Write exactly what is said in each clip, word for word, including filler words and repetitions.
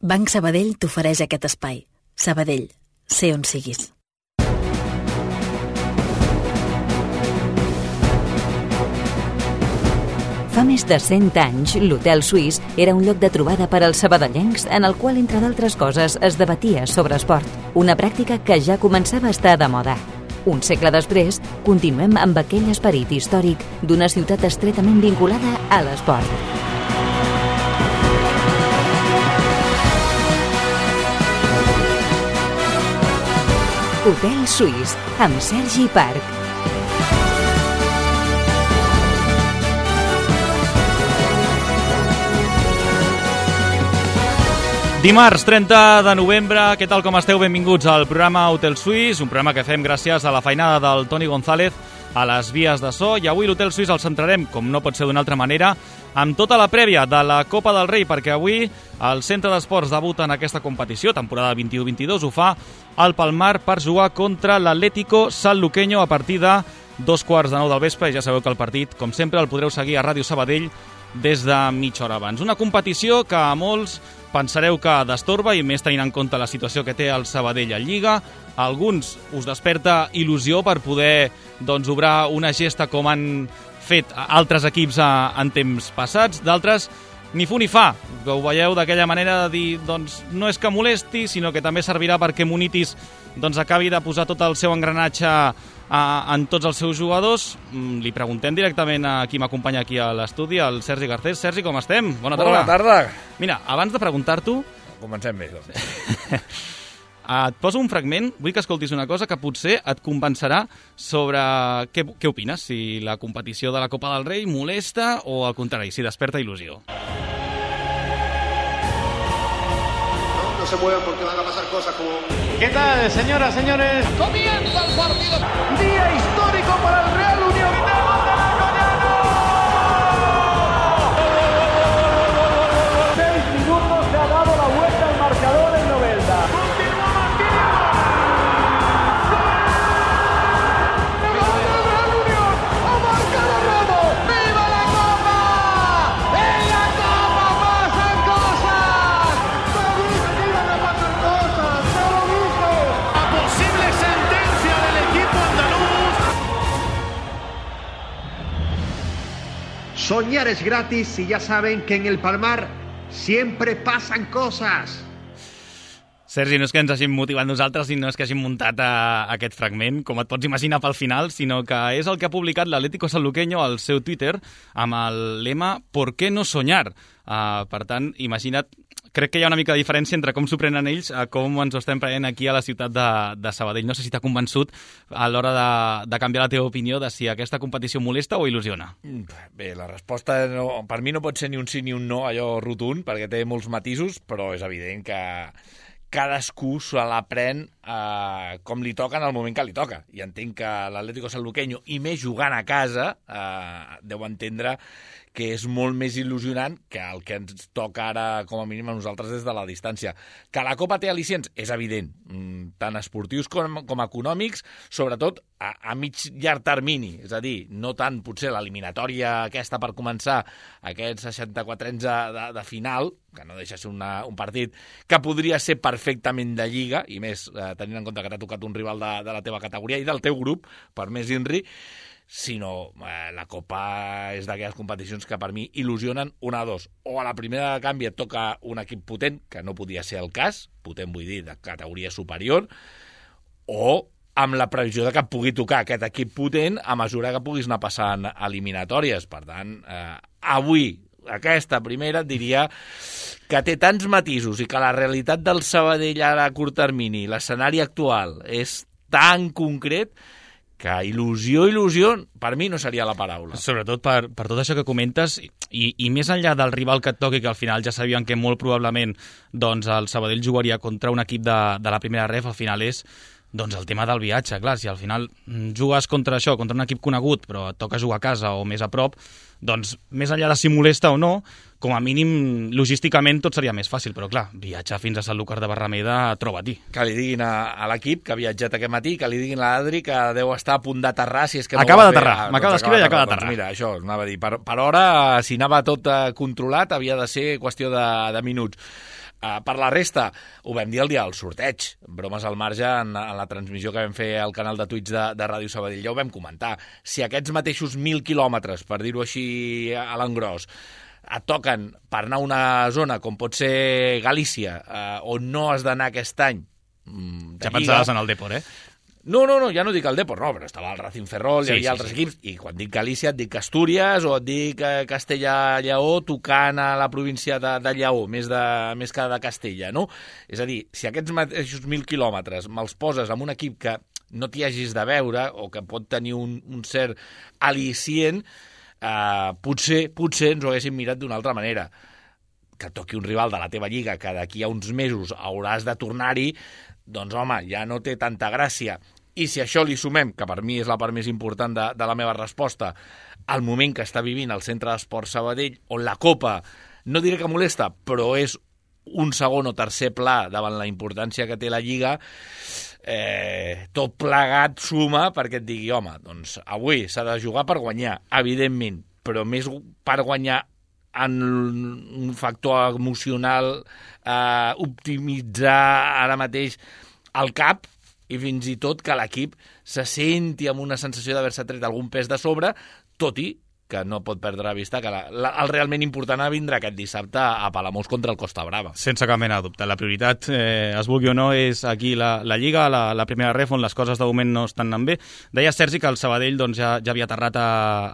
Banc Sabadell t'ofereix aquest espai. Sabadell, sé on siguis. Fa més de cent anys, l'Hotel Suís era un lloc de trobada per als sabadellencs en el qual, entre d'altres coses, es debatia sobre esport, una pràctica que ja començava a estar de moda. Un segle després, continuem amb aquell esperit històric d'una ciutat estretament vinculada a l'esport. Hotel Suís, amb Sergi Parc. Dimarts, trenta de novembre, què tal com esteu? Benvinguts al programa Hotel Suís, un programa que fem gràcies a la feinada del Toni González a les vies de so, i avui l'Hotel Suís el centrarem, com no pot ser d'una altra manera, amb tota la prèvia de la Copa del Rei, perquè avui el Centre d'Esports debuta en aquesta competició, temporada vint-i-u vint-i-dos, ho fa al Palmar per jugar contra l'Atlético Sanluqueño a partir de dos quarts de nou del vespre, i ja sabeu que el partit, com sempre, el podreu seguir a Ràdio Sabadell des de mitja hora abans. Una competició que a molts pensareu que destorba, i més tenint en compte la situació que té el Sabadell a Lliga. A alguns us desperta il·lusió per poder doncs, obrar una gesta com han fet altres equips a, en temps passats. D'altres, ni fu ni fa, que ho veieu d'aquella manera de dir doncs, no és que molesti, sinó que també servirà perquè Munitis doncs, acabi de posar tot el seu engranatge a, en tots els seus jugadors. Li preguntem directament a qui m'acompanya aquí a l'estudi, el Sergi Garcés. Sergi, com estem? Bona tarda. Bona tarda. Mira, abans de preguntar-t'ho... Comencem bé. Et poso un fragment, vull que escoltis una cosa que potser et convencerà sobre què, què opines, si la competició de la Copa del Rei molesta o al contrari, si desperta il·lusió. No, no se muevan porque van a pasar cosas como... ¿Qué tal, señoras, señores? ¡Comienza el partido! Día histórico para el Real Unión. Seis minutos se ha dado la vuelta al marcador en Novelda. Continúa Martínez. ¡Gol del Real Unión! ¡Ha marcado Romo! ¡Viva la Copa! ¡En la Copa pasan cosas! ¡Te lo dije que iban a pasar cosas! ¡Te lo dije! La posible sentencia del equipo andaluz. Soñar es gratis y ya saben que en el Palmar siempre pasan cosas. Sergi, no és que ens hàgim motivat nosaltres i no és que hàgim muntat a, a aquest fragment, com et pots imaginar pel final, sinó que és el que ha publicat l'Atlético Sanluqueño al seu Twitter amb el lema «¿Por qué no soñar?». Uh, per tant, imagina't, crec que hi ha una mica de diferència entre com s'ho prenen ells a com ens ho estem prenent aquí a la ciutat de, de Sabadell. No sé si t'ha convençut a l'hora de, de canviar la teva opinió de si aquesta competició molesta o il·lusiona. Bé, la resposta no, per mi no pot ser ni un sí ni un no, allò rotund, perquè té molts matisos, però és evident que cadascú se la pren eh, com li toca en el moment que li toca. I entenc que l'Atlético Sanluqueño, i més jugant a casa, eh, deu entendre que és molt més il·lusionant que el que ens toca ara, com a mínim, a nosaltres des de la distància. Que la Copa té al·licients, és evident, tant esportius com, com econòmics, sobretot a, a mig llarg termini, és a dir, no tant potser l'eliminatòria aquesta per començar aquests seixanta-quatre anys de, de, de final, que no deixa ser una, un partit que podria ser perfectament de Lliga, i més eh, tenint en compte que t'ha tocat un rival de, de la teva categoria i del teu grup, per més Inri, sinó eh, la Copa és d'aquelles competicions que per mi il·lusionen una a dos. O a la primera de canvi et toca un equip potent, que no podia ser el cas, potent vull dir de categoria superior, o amb la previsió de que et pugui tocar aquest equip potent a mesura que puguis anar passant eliminatòries. Per tant, eh, avui, aquesta primera, et diria que té tants matisos i que la realitat del Sabadell ara a curt termini, l'escenari actual, és tan concret que il·lusió, il·lusió, per mi no seria la paraula. Sobretot per, per tot això que comentes, i, i més enllà del rival que et toqui, que al final ja sabien que molt probablement doncs, el Sabadell jugaria contra un equip de, de la primera ref, al final és doncs, el tema del viatge. Clar, si al final jugues contra això, contra un equip conegut, però et toca jugar a casa o més a prop, doncs més enllà de si molesta o no, com a mínim, logísticament tot seria més fàcil, però clar, viatjar fins a Sanlúcar de Barrameda, troba-t'hi. Que li diguin a, a l'equip que ha viatjat aquest matí, que li diguin a l'Adri que deu estar a punt d'aterrar, si és que no acaba ho va d'aterrar, fer. m'acaba d'escriure i acaba d'aterrar. Doncs mira, això, anava a dir, per, per hora, si anava tot controlat, havia de ser qüestió de, de minuts. Uh, per la resta, ho vam dir el dia del sorteig, bromes al marge en, en la transmissió que vam fer al canal de Twitch de, de Ràdio Sabadell, ja ho vam comentar. Si aquests mateixos mil quilòmetres, per dir-ho així a l'engròs, et toquen per anar a una zona com pot ser Galícia, uh, on no has d'anar aquest any, mm, ja pensaves en el Depor, eh? No, no, no, ja no dic el Depor, no, però estava el Racing Ferrol, sí, hi havia sí, altres sí. equips, i quan dic Galícia et dic Astúries o et dic Castella-Lleó tocant a la província de, de Lleó, més, de, més que de Castella, no? És a dir, si aquests mateixos mil quilòmetres me'ls poses amb un equip que no t'hi hagis de veure o que pot tenir un, un cert al·licient, eh, potser, potser ens ho haguéssim mirat d'una altra manera. Que toqui un rival de la teva lliga que d'aquí a uns mesos hauràs de tornar-hi, doncs, home, ja no té tanta gràcia. I si això li sumem, que per mi és la part més important de, de la meva resposta, al moment que està vivint el Centre d'Esport Sabadell, on la Copa, no diré que molesta, però és un segon o tercer pla davant la importància que té la Lliga, eh, tot plegat suma perquè et digui, home, doncs avui s'ha de jugar per guanyar, evidentment, però més per guanyar en un factor emocional, eh, optimitzar ara mateix el cap i fins i tot que l'equip se senti amb una sensació d'haver-se tret algun pes de sobre, tot i que no pot perdre la vista que la, la, el realment important vindrà aquest dissabte a Palamós contra el Costa Brava. Sense cap mena de dubte. La prioritat, eh, es vulgui o no, és aquí la, la Lliga, la, la primera ref, on les coses de moment no estan anant bé. Deia Sergi que el Sabadell doncs, ja, ja havia aterrat a,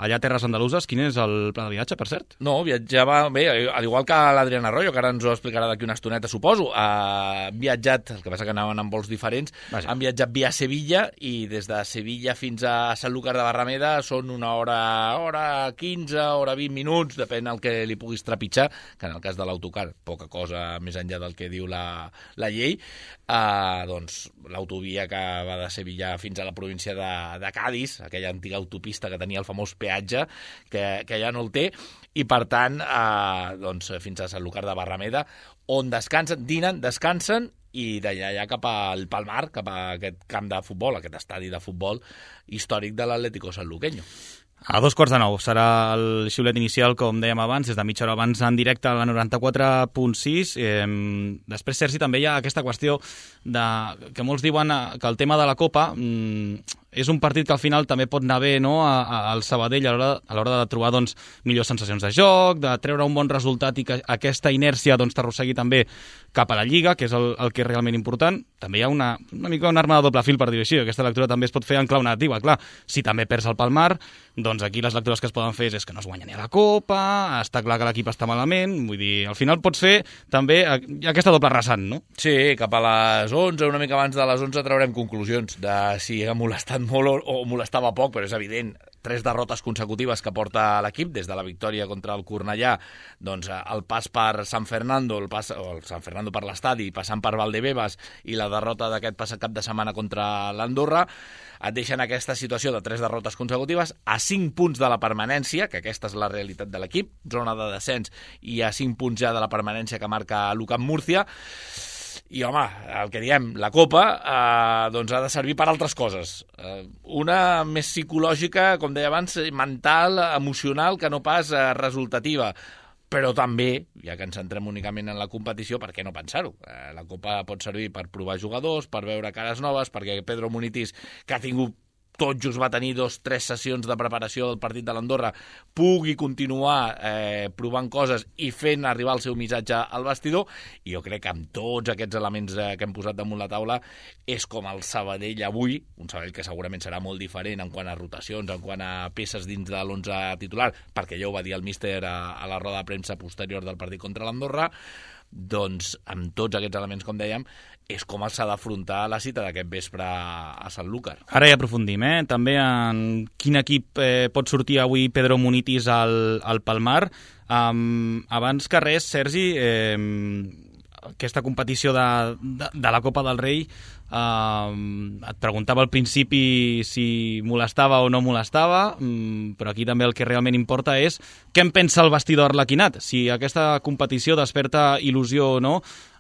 allà a Terres Andaluses. Quin és el pla de viatge, per cert? No, viatjava bé, al igual que l'Adrián Arroyo, que ara ens ho explicarà d'aquí una estoneta, suposo. Ha viatjat, el que passa que anaven en vols diferents, Vaja. han viatjat via Sevilla i des de Sevilla fins a Sanlúcar de Barrameda són una hora, hora quinze, hora vint minuts, depèn del que li puguis trepitjar, que en el cas de l'autocar, poca cosa més enllà del que diu la, la llei, eh, doncs l'autovia que va de Sevilla fins a la província de, de Cádiz, aquella antiga autopista que tenia el famós peatge, que, que ja no el té, i per tant, eh, doncs, fins a Sanlúcar de Barrameda, on descansen, dinen, descansen, i d'allà ja cap al Palmar, cap a aquest camp de futbol, aquest estadi de futbol històric de l'Atlético Sanluqueño. A dos quarts de nou serà el xiulet inicial, com dèiem abans, des de mitja hora abans en directe a la noranta-quatre punt sis. Eh, després, Sergi, també hi ha aquesta qüestió de, que molts diuen que el tema de la Copa mm, és un partit que al final també pot anar bé, no, a, a, al Sabadell a l'hora, a l'hora de trobar doncs, millors sensacions de joc, de treure un bon resultat i que aquesta inèrcia doncs, t'arrossegui també cap a la Lliga, que és el, el que és realment important. També hi ha una, una mica una arma de doble fil, per dir-ho així. Aquesta lectura també es pot fer en clau negativa. Clar, si també perds el Palmar, doncs aquí les lectures que es poden fer és que no es guanya ni a la Copa, està clar que l'equip està malament, vull dir, al final pots fer també aquesta doble rasant, no? Sí, cap a les onze, una mica abans de les onze traurem conclusions de si ha molestat molt o, o molestava poc, però és evident, tres derrotes consecutives que porta l'equip, des de la victòria contra el Cornellà, doncs el pas per San Fernando, el pas, o el San Fernando per l'estadi, passant per Valdebebas i la derrota d'aquest passat cap de setmana contra l'Andorra, et deixen aquesta situació de tres derrotes consecutives a cinc punts de la permanència, que aquesta és la realitat de l'equip, zona de descens, i a cinc punts ja de la permanència que marca l'U C A M Múrcia. I, home, el que diem, la Copa eh, doncs ha de servir per altres coses. Eh, una més psicològica, com deia abans, mental, emocional, que no pas eh, resultativa. Però també, ja que ens centrem únicament en la competició, per què no pensar-ho? Eh, la Copa pot servir per provar jugadors, per veure cares noves, perquè Pedro Munitis, que ha tingut tot just va tenir dos, tres sessions de preparació del partit de l'Andorra, pugui continuar eh, provant coses i fent arribar el seu missatge al vestidor. I jo crec que amb tots aquests elements eh, que hem posat damunt la taula és com el Sabadell avui, un Sabadell que segurament serà molt diferent en quant a rotacions, en quant a peces dins de l'onze titular, perquè ja ho va dir el míster a, a la roda de premsa posterior del partit contra l'Andorra, doncs amb tots aquests elements, com dèiem, és com s'ha d'afrontar la cita d'aquest vespre a Sanlúcar. Ara ja aprofundim, eh? També en quin equip eh, pot sortir avui Pedro Munitis al, al Palmar. Um, abans que res, Sergi, eh, aquesta competició de, de, de la Copa del Rei, Uh, et preguntava al principi si molestava o no molestava, um, però aquí també el que realment importa és què en pensa el vestidor arlequinat, si aquesta competició desperta il·lusió o no.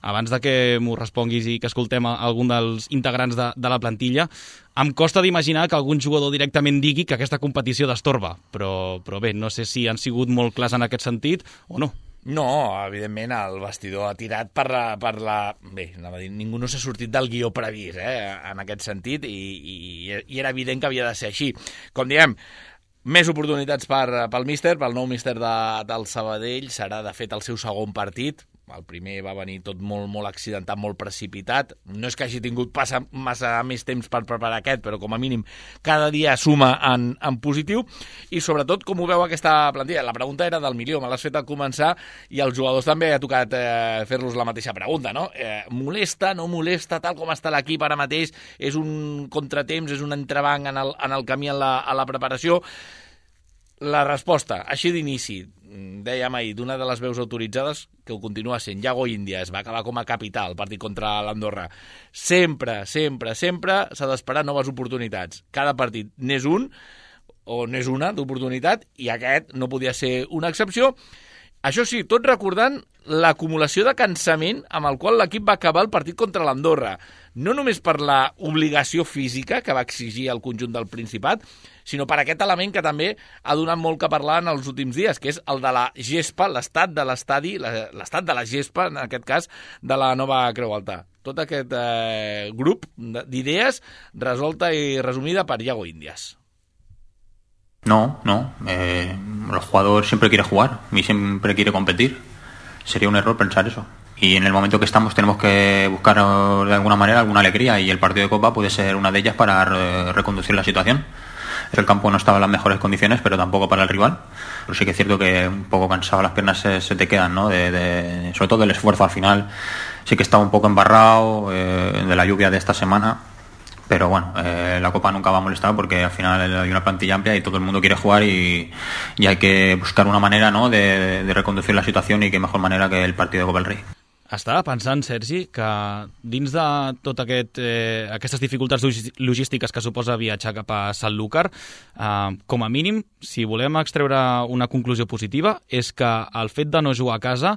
Abans de que m'ho responguis i que escoltem a algun dels integrants de, de la plantilla, em costa d'imaginar que algun jugador directament digui que aquesta competició destorba, però, però bé, no sé si han sigut molt clars en aquest sentit o no. No, evidentment, el vestidor ha tirat per la... Per la... Bé, anava a dir, ningú no s'ha sortit del guió previst, eh, en aquest sentit, i, i, i era evident que havia de ser així. Com diem, més oportunitats per, pel míster, pel nou míster de, del Sabadell. Serà, de fet, el seu segon partit. El primer va venir tot molt, molt accidentat, molt precipitat. No és que hagi tingut passa massa més temps per preparar aquest, però com a mínim cada dia suma en, en positiu. I sobretot, com ho veu aquesta plantilla? La pregunta era del milió, me l'has fet al començar, i als jugadors també ha tocat eh, fer-los la mateixa pregunta, no? Eh, molesta, no molesta, tal com està l'equip ara mateix? És un contratemps, és un entrebanc en el, en el camí en la, a la preparació? La resposta, així d'inici, dèiem ahir, d'una de les veus autoritzades, que ho continua sent, Iago Índias, va acabar com a capità el partit contra l'Andorra. Sempre, sempre, sempre s'ha d'esperar noves oportunitats. Cada partit n'és un, o n'és una d'oportunitat, i aquest no podia ser una excepció. Això sí, tot recordant l'acumulació de cansament amb el qual l'equip va acabar el partit contra l'Andorra. No només per la obligació física que va exigir el conjunt del Principat, sinó per aquest element que també ha donat molt que parlar en els últims dies, que és el de la gespa, l'estat de l'estadi, l'estat de la gespa, en aquest cas, de la nova Creu Alta. Tot aquest eh, grup d'idees resolta i resumida per Iago Índias. No, no. Eh, el jugador siempre quiere jugar y siempre quiere competir. Sería un error pensar eso. Y en el momento que estamos tenemos que buscar de alguna manera alguna alegría, y el partido de Copa puede ser una de ellas para re- reconducir la situación. El campo no estaba en las mejores condiciones, pero tampoco para el rival. Pero sí que es cierto que un poco cansado las piernas se, se te quedan, ¿no? De, de, sobre todo del esfuerzo al final. Sí que estaba un poco embarrado eh, de la lluvia de esta semana. Pero bueno, eh, la Copa nunca va a molestar porque al final hay una plantilla amplia y todo el mundo quiere jugar, y, y hay que buscar una manera, ¿no?, de, de reconducir la situación, y qué mejor manera que el partido de Copa del Rey. Estava pensant, Sergi, que dins de tot aquest, eh, aquestes dificultats logístiques que suposa viatjar cap a Sanlúcar, eh, com a mínim, si volem extreure una conclusió positiva, és que el fet de no jugar a casa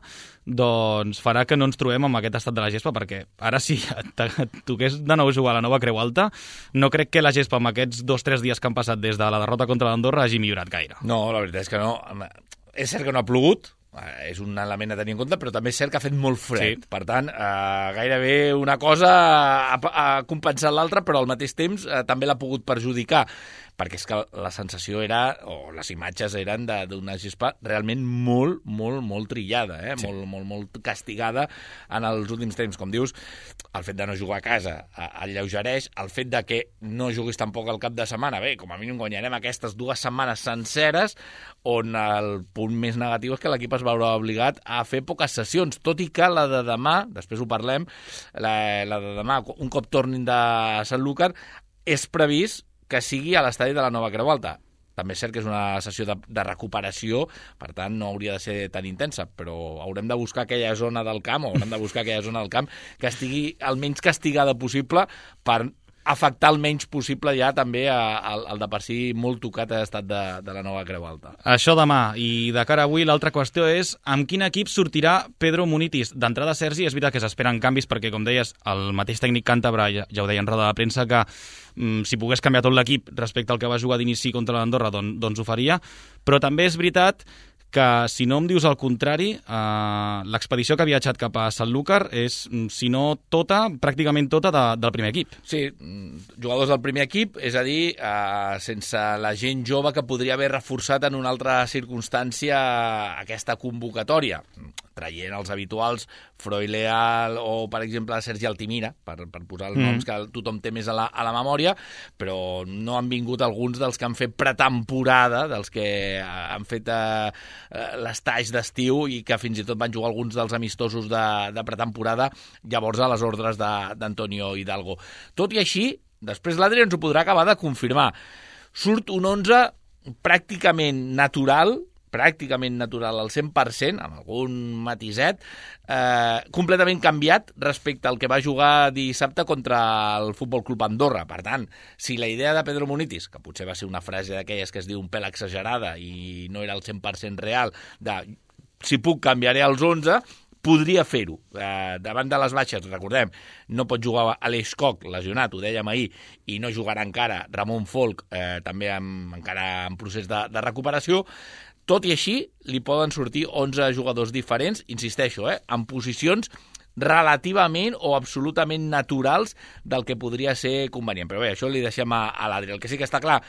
doncs farà que no ens trobem amb aquest estat de la gespa, perquè ara si et toqués de nou jugar a la nova Creu Alta, no crec que la gespa amb aquests dos o tres dies que han passat des de la derrota contra l'Andorra hagi millorat gaire. No, la veritat és que no. És cert que no ha plogut, és un element a tenir en compte, però també és cert que ha fet molt fred. Sí. Per tant, eh, gairebé una cosa ha, ha compensat l'altra, però al mateix temps eh, també l'ha pogut perjudicar, perquè és que la sensació era, o les imatges eren d'una gespa realment molt, molt, molt trillada, eh? Sí. molt, molt, molt castigada en els últims temps. Com dius, el fet de no jugar a casa el lleugereix, el fet de que no juguis tampoc al cap de setmana, bé, com a mínim guanyarem aquestes dues setmanes senceres, on el punt més negatiu és que l'equip es veurà obligat a fer poques sessions, tot i que la de demà, després ho parlem, la, la de demà, un cop tornin de Sanlúcar, és previst que sigui a l'estadi de la nova Creu Alta. També és cert que és una sessió de, de recuperació, per tant no hauria de ser tan intensa, però haurem de buscar aquella zona del camp, o haurem de buscar aquella zona del camp que estigui el menys castigada possible per afectar el menys possible ja també al, al de per si molt tocat estat de, de la nova Creu Alta. Això demà, i de cara a avui l'altra qüestió és amb quin equip sortirà Pedro Munitis. D'entrada, Sergi, és veritat que s'esperen canvis perquè, com deies, el mateix tècnic càntabre, ja, ja ho deia en roda de premsa, que mm, si pogués canviar tot l'equip respecte al que va jugar d'inici contra l'Andorra, doncs, doncs ho faria, però també és veritat que si no em dius el contrari, eh, l'expedició que ha viatjat cap a Sanlúcar és, si no tota, pràcticament tota de, del primer equip. Sí, jugadors del primer equip, és a dir, eh, sense la gent jove que podria haver reforçat en una altra circumstància aquesta convocatòria, traient els habituals Froileal o, per exemple, Sergi Altimira, per, per posar els mm. noms que tothom té més a la, a la memòria, però no han vingut alguns dels que han fet pretemporada, dels que han fet eh, l'estaix d'estiu i que fins i tot van jugar alguns dels amistosos de, de pretemporada, llavors a les ordres d'Antonio Hidalgo. Tot i així, després l'Adri ens ho podrà acabar de confirmar. Surt un onze pràcticament natural, pràcticament natural al cent per cent, amb algun matiset, eh, completament canviat respecte al que va jugar dissabte contra el Futbol Club Andorra. Per tant, si la idea de Pedro Munitis, que potser va ser una frase d'aquelles que es diu un pèl exagerada i no era el cent per cent real, de si puc canviaré els onze, podria fer-ho. Eh, davant de les baixes, recordem, no pot jugar Aleix Koch, lesionat, ho dèiem ahir, i no jugarà encara Ramon Folk, eh, també amb, encara en procés de, de recuperació. Tot i així, li poden sortir onze jugadors diferents, insisteixo, eh, en posicions relativament o absolutament naturals del que podria ser convenient. Però bé, això li deixem a, a l'Adri. El que sí que està clar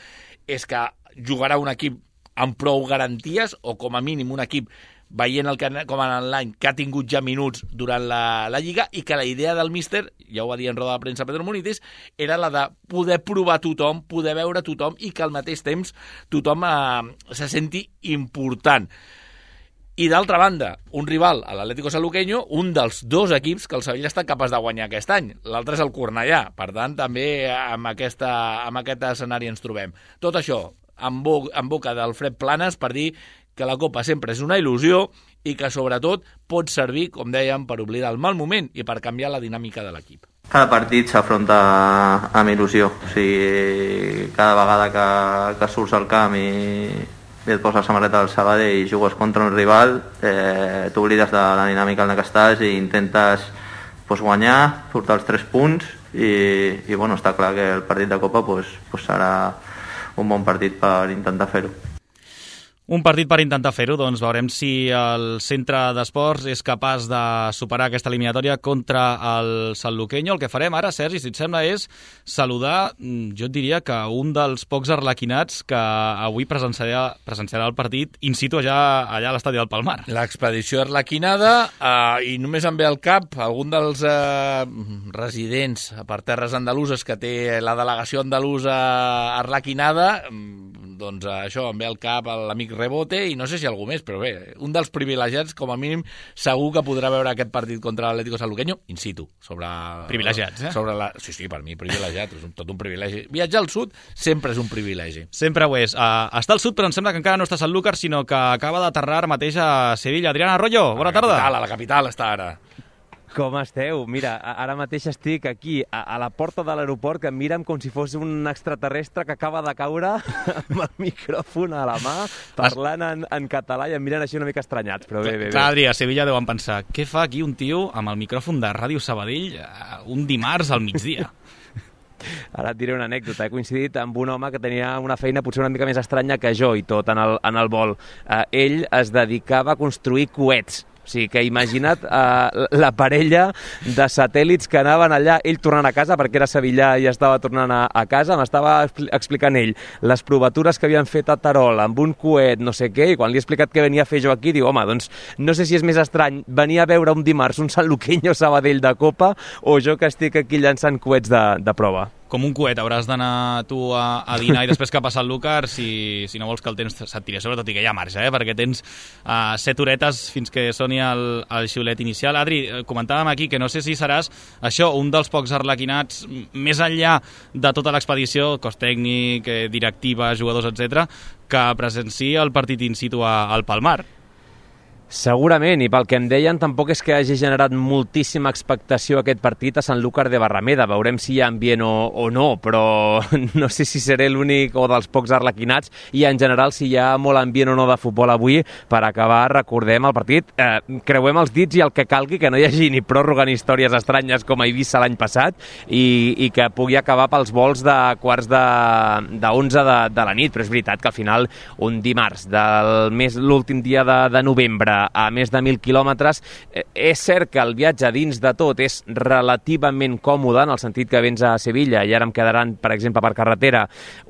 és que jugarà un equip amb prou garanties, o com a mínim un equip veient el que, com en l'any, que ha tingut ja minuts durant la, la Lliga, i que la idea del míster, ja ho va dir en roda de premsa Pedro Munitis, era la de poder provar tothom, poder veure tothom, i que al mateix temps tothom eh, se senti important. I d'altra banda, un rival, l'Atlético Sanluqueño, un dels dos equips que el Sevilla està capaç de guanyar aquest any. L'altre és el Cornellà. Per tant, també amb, aquesta, amb aquest escenari ens trobem. Tot això en, bo, en boca d'Alfred Planes per dir que la Copa sempre és una il·lusió i que, sobretot, pot servir, com dèiem, per oblidar el mal moment i per canviar la dinàmica de l'equip. Cada partit s'afronta amb il·lusió. O sigui, cada vegada que, que surts al camp i, i et poses la samarreta del Sabadell i jugues contra un rival, eh, t'oblides de la dinàmica en la que estàs i intentes pues, guanyar, portar els tres punts i, i bueno, està clar que el partit de Copa pues, pues serà un bon partit per intentar fer-ho. Un partit per intentar fer-ho, doncs veurem si el centre d'esports és capaç de superar aquesta eliminatòria contra el Sanluqueño. El que farem ara, Sergi, si et sembla, és saludar, jo et diria que un dels pocs arlequinats que avui presenciarà, presenciarà el partit in situ allà, allà a l'estadi del Palmar. L'expedició arlequinada, eh, i només em ve al cap algun dels eh, residents per terres andaluses que té la delegació andalusa arlequinada, doncs això, em ve al cap l'amic Rebote i no sé si algú més, però bé, un dels privilegiats, com a mínim, segur que podrà veure aquest partit contra l'Atlético Sanluqueño in situ. Sobre, privilegiats, eh? Sobre la, sí, sí, per mi, privilegiat, és un, tot un privilegi. Viatjar al sud sempre és un privilegi. Sempre ho és. Uh, està al sud, però em sembla que encara no està a Sanlúcar, sinó que acaba d'aterrar mateix a Sevilla. Adrián Arroyo, bona tarda. A la capital està ara. Com esteu? Mira, ara mateix estic aquí, a, a la porta de l'aeroport, que em miren com si fos un extraterrestre que acaba de caure amb el micròfon a la mà, parlant en, en català, i em miren així una mica estranyats, però bé, bé, bé. Clar, Adri, a Sevilla deuen pensar, què fa aquí un tio amb el micròfon de Ràdio Sabadell un dimarts al migdia? Ara et diré una anècdota. He coincidit amb un home que tenia una feina potser una mica més estranya que jo i tot en el, en el vol. Uh, ell es dedicava a construir coets. O sigui, que imagina't uh, la parella de satèl·lits que anaven allà, ell tornant a casa, perquè era sevillà i estava tornant a, a casa, m'estava explicant ell les provatures que havien fet a Terol amb un coet, no sé què, i quan li he explicat què venia a fer jo aquí, diu, home, doncs no sé si és més estrany venir a veure un dimarts un Sanluqueño Sabadell de Copa o jo que estic aquí llançant coets de, de prova. Com un coet, hauràs d'anar tu a, a dinar i després cap a Sanlúcar si, si no vols que el temps se't tiri, sobretot i que hi ha marge, eh? Perquè tens uh, set horetes fins que soni el, el xiulet inicial. Adri, comentàvem aquí que no sé si seràs això, un dels pocs arlequinats, més enllà de tota l'expedició, cos tècnic, directiva, jugadors, etcètera, que presenci el partit in situ a, al Palmar. Segurament, i pel que em deien, tampoc és que hagi generat moltíssima expectació aquest partit a Sanlúcar de Barrameda. Veurem si hi ha ambient o, o no, però no sé si seré l'únic o dels pocs arlequinats, i en general si hi ha molt ambient o no de futbol avui. Per acabar, recordem el partit, eh, creuem els dits i el que calgui, que no hi hagi ni pròrroga ni històries estranyes com a Eivissa l'any passat, i, i que pugui acabar pels vols de quarts de, de onze de, de la nit. Però és veritat que al final, un dimarts del mes, l'últim dia de, de novembre, a més de mil quilòmetres. És cert que el viatge dins de tot és relativament còmode, en el sentit que vens a Sevilla i ara em quedaran, per exemple, per carretera,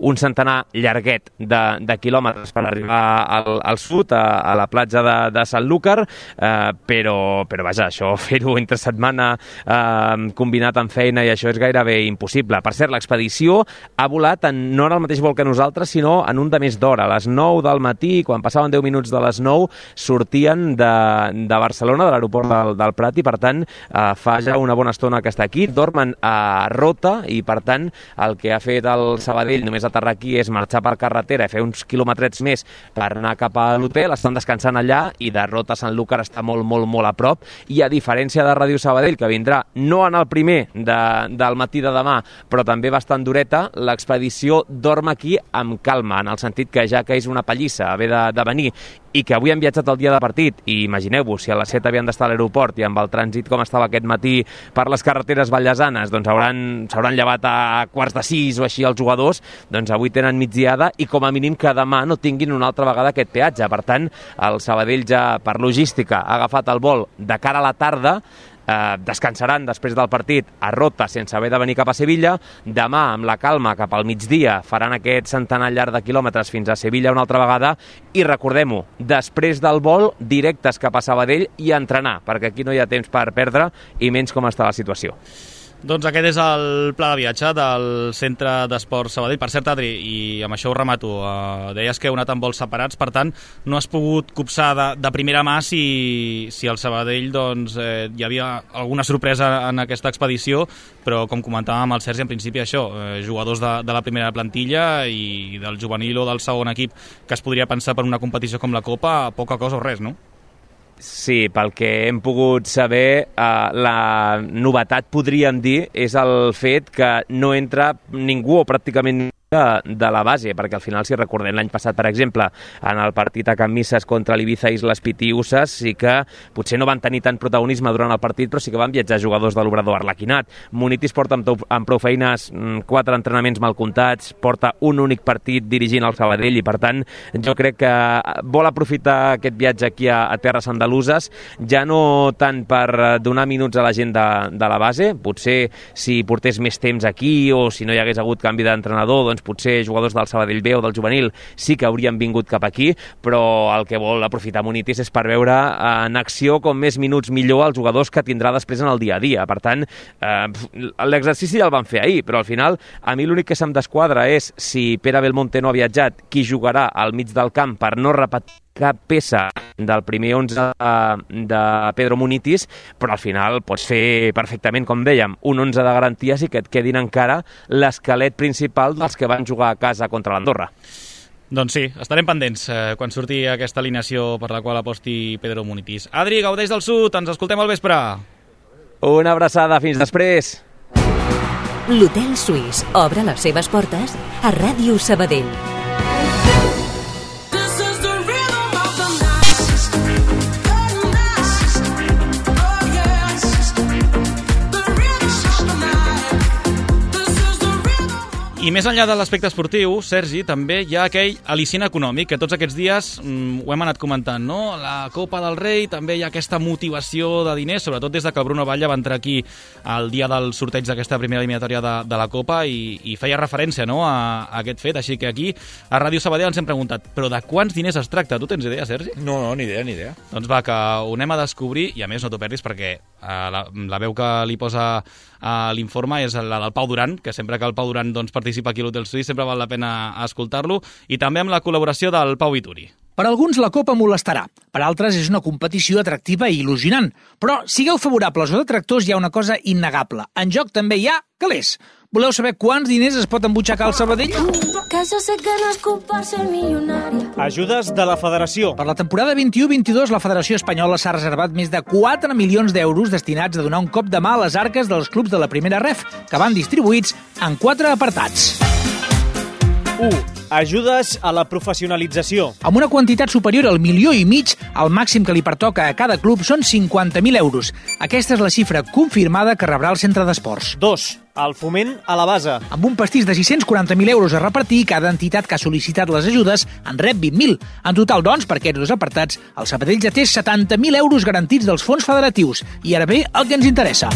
un centenar llarguet de, de quilòmetres per arribar al, al sud, a, a la platja de, de Sanlúcar, eh, però, però vaja, això, fer-ho entre setmana eh, combinat amb feina i això és gairebé impossible. Per cert, l'expedició ha volat en, no en el mateix vol que nosaltres, sinó en un de més d'hora. A les nou del matí, quan passaven deu minuts de les nou, sortien de de Barcelona, de l'aeroport del, del Prat, i per tant eh, fa ja una bona estona que està aquí, dormen a Rota, i per tant el que ha fet el Sabadell només aterrar aquí és marxar per carretera i fer uns quilòmetrets més per anar cap a l'hotel, estan descansant allà, i de Rota a Sanlúcar està molt, molt, molt a prop, i a diferència de Ràdio Sabadell, que vindrà no en el primer de, del matí de demà, però també bastant dureta, l'expedició dorm aquí amb calma, en el sentit que ja que és una pallissa haver de, de venir i que avui han viatjat el dia de partit, i imagineu-vos, si a les set havien d'estar a l'aeroport i amb el trànsit com estava aquest matí per les carreteres vallesanes, doncs hauran, s'hauran llevat a quarts de sis o així els jugadors, doncs avui tenen migdiada i com a mínim que demà no tinguin una altra vegada aquest peatge. Per tant, el Sabadell ja per logística ha agafat el vol de cara a la tarda, Eh, descansaran després del partit a Rota sense haver de venir cap a Sevilla. Demà, amb la calma, cap al migdia faran aquest centenar llarg de quilòmetres fins a Sevilla una altra vegada i recordem-ho, després del vol directes cap a Sabadell i a entrenar, perquè aquí no hi ha temps per perdre i menys com està la situació. Doncs aquest és el pla de viatge del Centre d'Esports Sabadell. Per cert, Adri, i amb això ho remato, eh, deies que heu anat amb vols separats, per tant, no has pogut copsar de, de primera mà si, si al Sabadell doncs, eh, hi havia alguna sorpresa en aquesta expedició, però com comentàvem amb el Sergi, en principi això, eh, jugadors de, de la primera plantilla i del juvenil o del segon equip que es podria pensar per una competició com la Copa, poca cosa o res, no? Sí, pel que hem pogut saber, eh, la novetat, podríem dir, és el fet que no entra ningú o pràcticament de, de la base, perquè al final, si recordem l'any passat, per exemple, en el partit a Can Misses contra l'Ibiza Islas Pitiusses, sí que potser no van tenir tant protagonisme durant el partit, però sí que van viatjar jugadors de l'Obrador Arlequinat. Munitis porta amb, amb prou feines quatre entrenaments mal comptats, porta un únic partit dirigint el Sabadell i, per tant, jo crec que vol aprofitar aquest viatge aquí a, a terres andaluses, ja no tant per donar minuts a la gent de, de la base, potser si portés més temps aquí o si no hi hagués hagut canvi d'entrenador, doncs potser jugadors del Sabadell B o del juvenil sí que haurien vingut cap aquí, però el que vol aprofitar Munitis és per veure en acció com més minuts millor els jugadors que tindrà després en el dia a dia. Per tant, eh, l'exercici ja el van fer ahir, però al final a mi l'únic que se'm desquadra és si Pere Belmonte no ha viatjat, qui jugarà al mig del camp per no repetir cap peça del primer onze de Pedro Munitis, però al final pots fer perfectament, com dèiem, un onze de garanties i que et quedin encara l'esquelet principal dels que van jugar a casa contra l'Andorra. Doncs sí, estarem pendents eh, quan surti aquesta alineació per la qual aposti Pedro Munitis. Adri, gaudeix del sud, ens escoltem al vespre. Una abraçada, fins després. L'Hotel Suís obre les seves portes a Ràdio Sabadell. I més enllà de l'aspecte esportiu, Sergi, també hi ha aquell al·licient econòmic que tots aquests dies mm, ho hem anat comentant, no? La Copa del Rei, també hi ha aquesta motivació de diners, sobretot des de que el Bruno Batlle va entrar aquí el dia del sorteig d'aquesta primera eliminatòria de, de la Copa i, i feia referència, no?, a, a aquest fet. Així que aquí, a Ràdio Sabadell, ens hem preguntat, però de quants diners es tracta? Tu tens idea, Sergi? No, no, ni idea, ni idea. Doncs va, que ho anem a descobrir, i a més no t'ho perdis perquè eh, la, la veu que li posa a l'informe és la del Pau Duran, que sempre que el Pau Duran doncs, participa aquí a l'Hotel Suís sempre val la pena escoltar-lo, i també amb la col·laboració del Pau Vituri. Per alguns la Copa molestarà, per altres és una competició atractiva i il·lusionant. Però sigueu favorables o detractors, hi ha una cosa innegable. En joc també hi ha calés. Voleu saber quants diners es pot embutxacar al Sabadell? Que yo sé que no es culpa ser millonaria. Ajudes de la Federació. Per la temporada vint-i-u vint-i-dos, la Federació Espanyola s'ha reservat més de quatre milions d'euros destinats a donar un cop de mà a les arques dels clubs de la primera ref, que van distribuïts en quatre apartats. u. Ajudes a la professionalització. Amb una quantitat superior al milió i mig, el màxim que li pertoca a cada club són cinquanta mil euros. Aquesta és la xifra confirmada que rebrà el centre d'esports. dos. El foment a la base. Amb un pastís de sis-cents quaranta mil euros a repartir, cada entitat que ha sol·licitat les ajudes en rep vint mil. En total, doncs, per aquests dos apartats, el Sabadell ja té setanta mil euros garantits dels fons federatius. I ara ve el que ens interessa.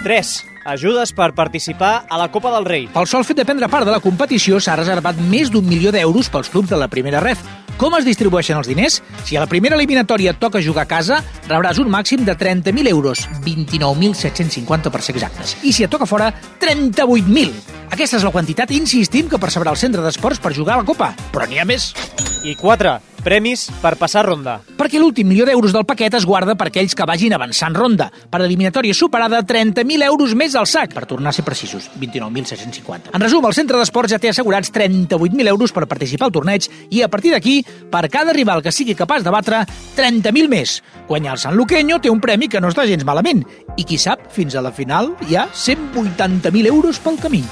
tres. Ajudes per participar a la Copa del Rei. Pel sol fet de prendre part de la competició s'ha reservat més d'un milió d'euros pels clubs de la primera ref. Com es distribueixen els diners? Si a la primera eliminatòria et toca jugar a casa, rebràs un màxim de trenta mil euros, vint-i-nou mil set-cents cinquanta per ser exactes. I si et toca fora, trenta-vuit mil. Aquesta és la quantitat, insistim, que percebrà el centre d'esports per jugar a la Copa. Però n'hi ha més. I quatre. Premis per passar ronda. Perquè l'últim milió d'euros del paquet es guarda per aquells que vagin avançant ronda. Per eliminatòria superada, trenta mil euros més al sac, per tornar a ser precisos, vint-i-nou mil set-cents cinquanta. En resum, el centre d'esports ja té assegurats trenta-vuit mil euros per participar al torneig i, a partir d'aquí, per cada rival que sigui capaç de batre, trenta mil més. Guanyar el San Luqueño té un premi que no està gens malament. I qui sap, fins a la final hi ha cent vuitanta mil euros pel camí.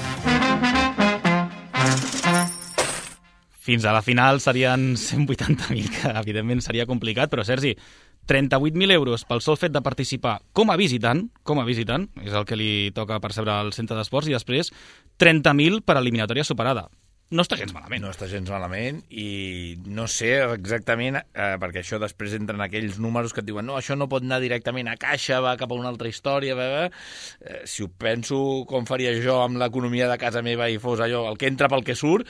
fins a la final serien cent vuitanta mil, que evidentment seria complicat, però Sergi, trenta-vuit mil euros pel sol fet de participar com a visitant, com a visitant, és el que li toca percebre al centre d'esports, i després trenta mil per eliminatòria superada. No està gens malament. No està gens malament i no sé exactament, eh, perquè això després entren aquells números que et diuen no, això no pot anar directament a caixa, va cap a una altra història, va, va. Eh, si ho penso com faria jo amb l'economia de casa meva i fos allò, el que entra pel que surt,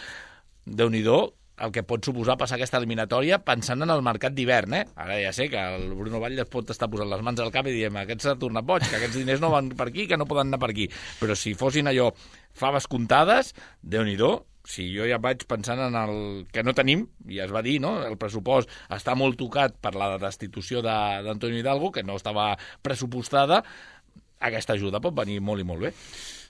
Déu-n'hi-do, el que pot suposar passar aquesta eliminatòria pensant en el mercat d'hivern, eh? Ara ja sé que el Bruno Batlle es pot estar posant les mans al cap i diem aquest s'ha tornat boig, que aquests diners no van per aquí, que no poden anar per aquí. Però si fossin allò faves comptades, Déu-n'hi-do, si jo ja vaig pensant en el que no tenim, i es va dir, no? El pressupost està molt tocat per la destitució d'Antonio Hidalgo, que no estava pressupostada, aquesta ajuda pot venir molt i molt bé.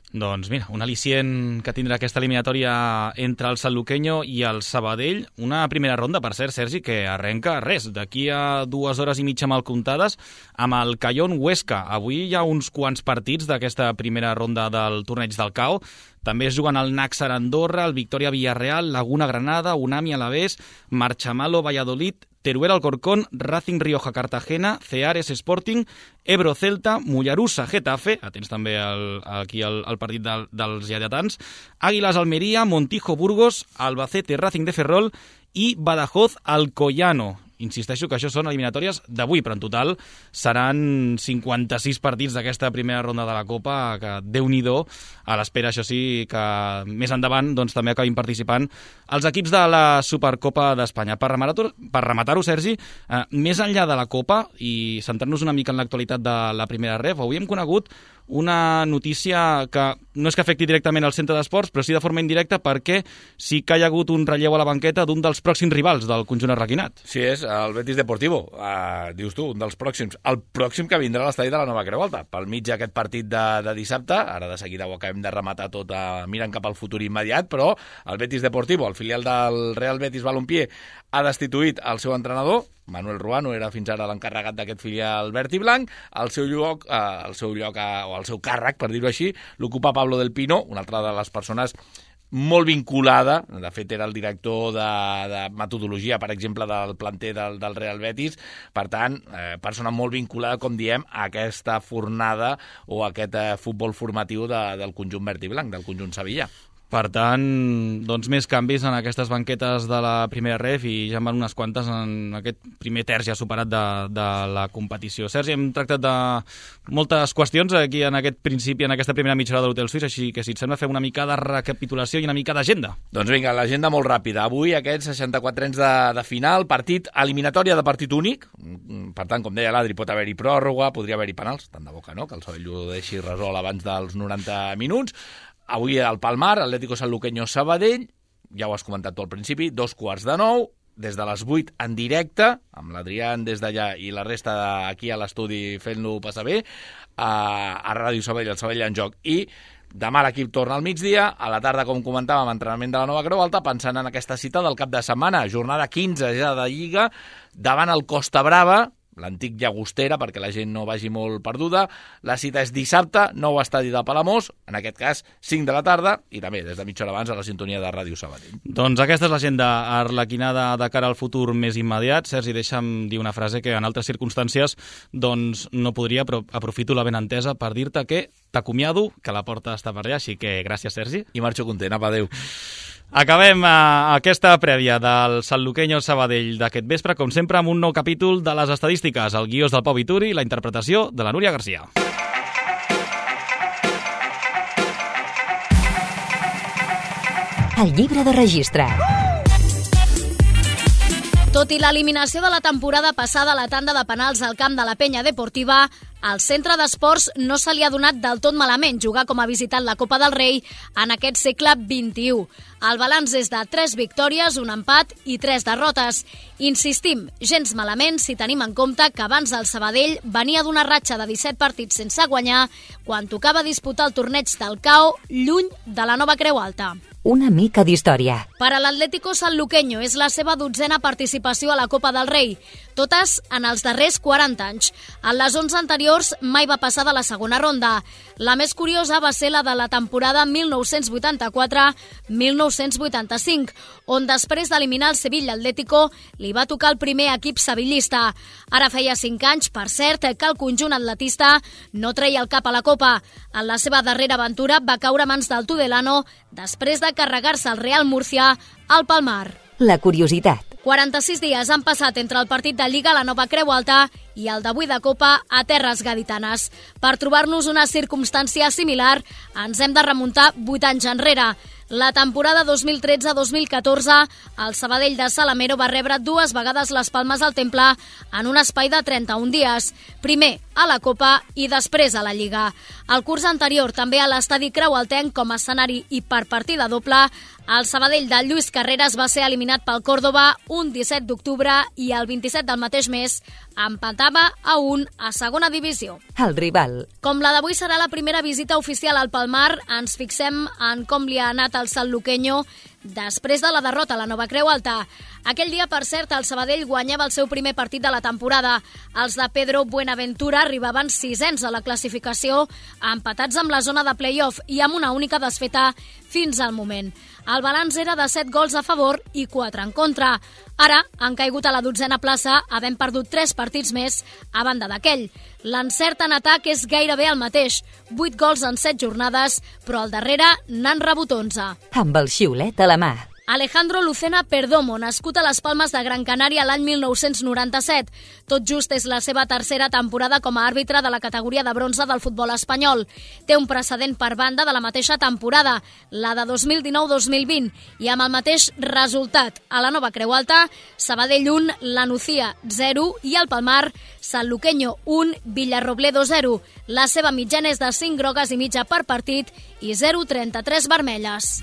Doncs mira, un al·licient que tindrà aquesta eliminatòria entre el Sanluqueño i el Sabadell. Una primera ronda, per cert, Sergi, que arrenca res, d'aquí a dues hores i mitja mal comptades, amb el Cayón Huesca. Avui hi ha uns quants partits d'aquesta primera ronda del torneig del C A O. També es juguen el Náxar Andorra, el Victoria Villarreal, Laguna Granada, Unami Alavés, Marchamalo Valladolid, Teruel Alcorcón, Racing Rioja Cartagena, Ceares Sporting, Ebro Celta, Mollerussa Getafe, atents també el, aquí el, el partit del, dels lleidatans, Àguilas Almeria, Montijo Burgos, Albacete Racing de Ferrol i Badajoz Alcoyano. Insisteixo que això són eliminatòries d'avui, però en total seran cinquanta-sis partits d'aquesta primera ronda de la Copa, que Déu-n'hi-do, a l'espera, això sí, que més endavant doncs, també acabin participant els equips de la Supercopa d'Espanya. Per rematar-ho, per rematar-ho, Sergi, eh, més enllà de la Copa i centrar-nos una mica en l'actualitat de la primera ref, avui hem conegut una notícia que no és que afecti directament al centre d'esports, però sí de forma indirecta perquè sí que hi ha hagut un relleu a la banqueta d'un dels pròxims rivals del conjunt arraquinat. Sí, és el Betis Deportivo, uh, dius tu, un dels pròxims. El pròxim que vindrà a l'estadi de la Nova Creu Alta, pel mig d'aquest partit de, de dissabte. Ara de seguida ho acabem de rematar tot uh, mirant cap al futur immediat, però el Betis Deportivo, el filial del Real Betis Balompié, ha destituït el seu entrenador. Manuel Ruano era fins ara l'encarregat d'aquest filial verd i blanc. El seu lloc, eh, el seu lloc eh, o el seu càrrec, per dir-ho així, l'ocupa Pablo del Pino, una altra de les persones molt vinculada, de fet era el director de, de metodologia, per exemple, del planter del, del Real Betis, per tant, eh, persona molt vinculada, com diem, a aquesta fornada o a aquest eh, futbol formatiu de, del conjunt verd i blanc, del conjunt sevillà. Per tant, doncs més canvis en aquestes banquetes de la primera ref i ja en van unes quantes en aquest primer terç ja superat de, de la competició. Sergi, hem tractat de moltes qüestions aquí en aquest principi, en aquesta primera mitja hora de l'Hotel Suís, així que si et sembla fem una mica de recapitulació i una mica d'agenda. Doncs vinga, l'agenda molt ràpida. Avui aquests seixanta-quatre anys de, de final, partit eliminatòria de partit únic, per tant, com deia l'Adri, pot haver-hi pròrroga, podria haver-hi penals, tant de boca, no?, que el Sabell ho deixi resolt abans dels noranta minuts. Avui al Palmar, Atlético Sanluqueño Sabadell, ja ho has comentat tu al principi, dos quarts de nou, des de les vuit en directe, amb l'Adrián des d'allà i la resta aquí a l'estudi fent-lo passar bé, a, a Ràdio Sabadell, el Sabadell en joc. I demà l'equip torna al migdia, a la tarda, com comentàvem, entrenament de la Nova Creu Alta, pensant en aquesta cita del cap de setmana, jornada quinze ja de Lliga, davant el Costa Brava, l'antic Llagostera, perquè la gent no vagi molt perduda. La cita és dissabte, nou estadi de Palamós, en aquest cas cinc de la tarda, i també des de mitja hora abans a la sintonia de Ràdio Sabadell. Doncs aquesta és l'agenda arlequinada de cara al futur més immediat. Sergi, deixa'm dir una frase que en altres circumstàncies doncs no podria, però aprofito la benentesa per dir-te que t'acomiado, que la porta està per allà, així que gràcies, Sergi. I marxo content, apa, adéu. Acabem eh, aquesta prèvia del Sanluqueño Sabadell d'aquest vespre, com sempre, amb un nou capítol de les estadístiques. El guió és del Pau Vituri i la interpretació de la Núria Garcia. El llibre de registre. Tot i l'eliminació de la temporada passada a la tanda de penals al camp de la Penya Deportiva, al centre d'esports no se li ha donat del tot malament jugar com a visitant la Copa del Rei en aquest segle vint-i-u. El balanç és de tres victòries, un empat i tres derrotes. Insistim, gens malament si tenim en compte que abans el Sabadell venia d'una ratxa de disset partits sense guanyar quan tocava disputar el torneig del C A O lluny de la Nova Creu Alta. una mica d'història. Per a l'Atlético Sanluqueño és la seva dotzena participació a la Copa del Rei, totes en els darrers quaranta anys. En les onze anteriors mai va passar de la segona ronda. La més curiosa va ser la de la temporada mil nou-cents vuitanta-quatre mil nou-cents vuitanta-cinc, on després d'eliminar el Sevilla Atlético li va tocar el primer equip sevillista. Ara feia cinc anys, per cert, que el conjunt atletista no treia el cap a la Copa. En la seva darrera aventura va caure a mans del Tudelano després de carregar-se el Real Murcia al Palmar. La curiositat. quaranta-sis dies han passat entre el partit de Lliga a la Nova Creu Alta i el d'avui de Copa a Terres Gaditanes. Per trobar-nos una circumstància similar, ens hem de remuntar vuit anys enrere. La temporada dos mil tretze dos mil catorze, el Sabadell de Salamero va rebre dues vegades les Palmes al Temple en un espai de trenta-un dies. Primer a la Copa i després a la Lliga. El curs anterior, també a l'estadi Creualtenc com a escenari i per partida doble, el Sabadell de Lluís Carreras va ser eliminat pel Córdoba un disset d'octubre i el vint-i-set del mateix mes empatava a un a segona divisió. El rival. Com la d'avui serà la primera visita oficial al Palmar, ens fixem en com li ha anat al Sanluqueño després de la derrota a la Nova Creu Alta. Aquell dia, per cert, el Sabadell guanyava el seu primer partit de la temporada. Els de Pedro Buenaventura arribaven sisens a la classificació, empatats amb la zona de play-off i amb una única desfeta fins al moment. El balanç era de set gols a favor i quatre en contra. Ara han caigut a la dotzena plaça, havent perdut tres partits més a banda d'aquell. L'encert en atac és gairebé el mateix, vuit gols en set jornades, però al darrere n'han rebut onze. Amb el xiulet a la mà. Alejandro Lucena Perdomo, nascut a les Palmes de Gran Canària l'any mil nou-cents noranta-set. Tot just és la seva tercera temporada com a àrbitre de la categoria de bronze del futbol espanyol. Té un precedent per banda de la mateixa temporada, la de dos mil dinou dos mil vint, i amb el mateix resultat. A la Nova Creu Alta, Sabadell un, La Nucía zero i el Palmar, Sanluqueño un, Villarrobledo zero. La seva mitjana és de cinc grogues i mitja per partit i zero coma trenta-tres vermelles.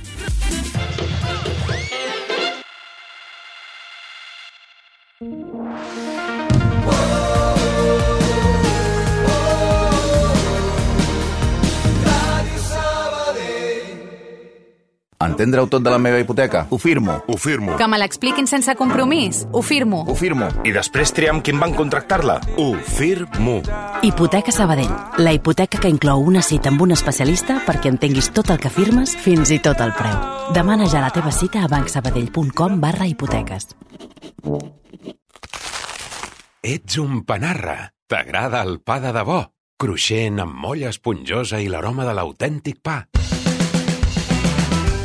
Entendre-ho tot de la meva hipoteca? Ho firmo. Ho firmo. Que me l'expliquin sense compromís? Ho firmo. Ho firmo. I després triar amb qui em van contractar-la? Ho firmo. Hipoteca Sabadell. La hipoteca que inclou una cita amb un especialista perquè entenguis tot el que firmes, fins i tot el preu. Demana ja la teva cita a bancsabadell.com barra hipoteques. Ets un panarra. T'agrada el pa de debò? Cruixent, amb molla esponjosa i l'aroma de l'autèntic pa.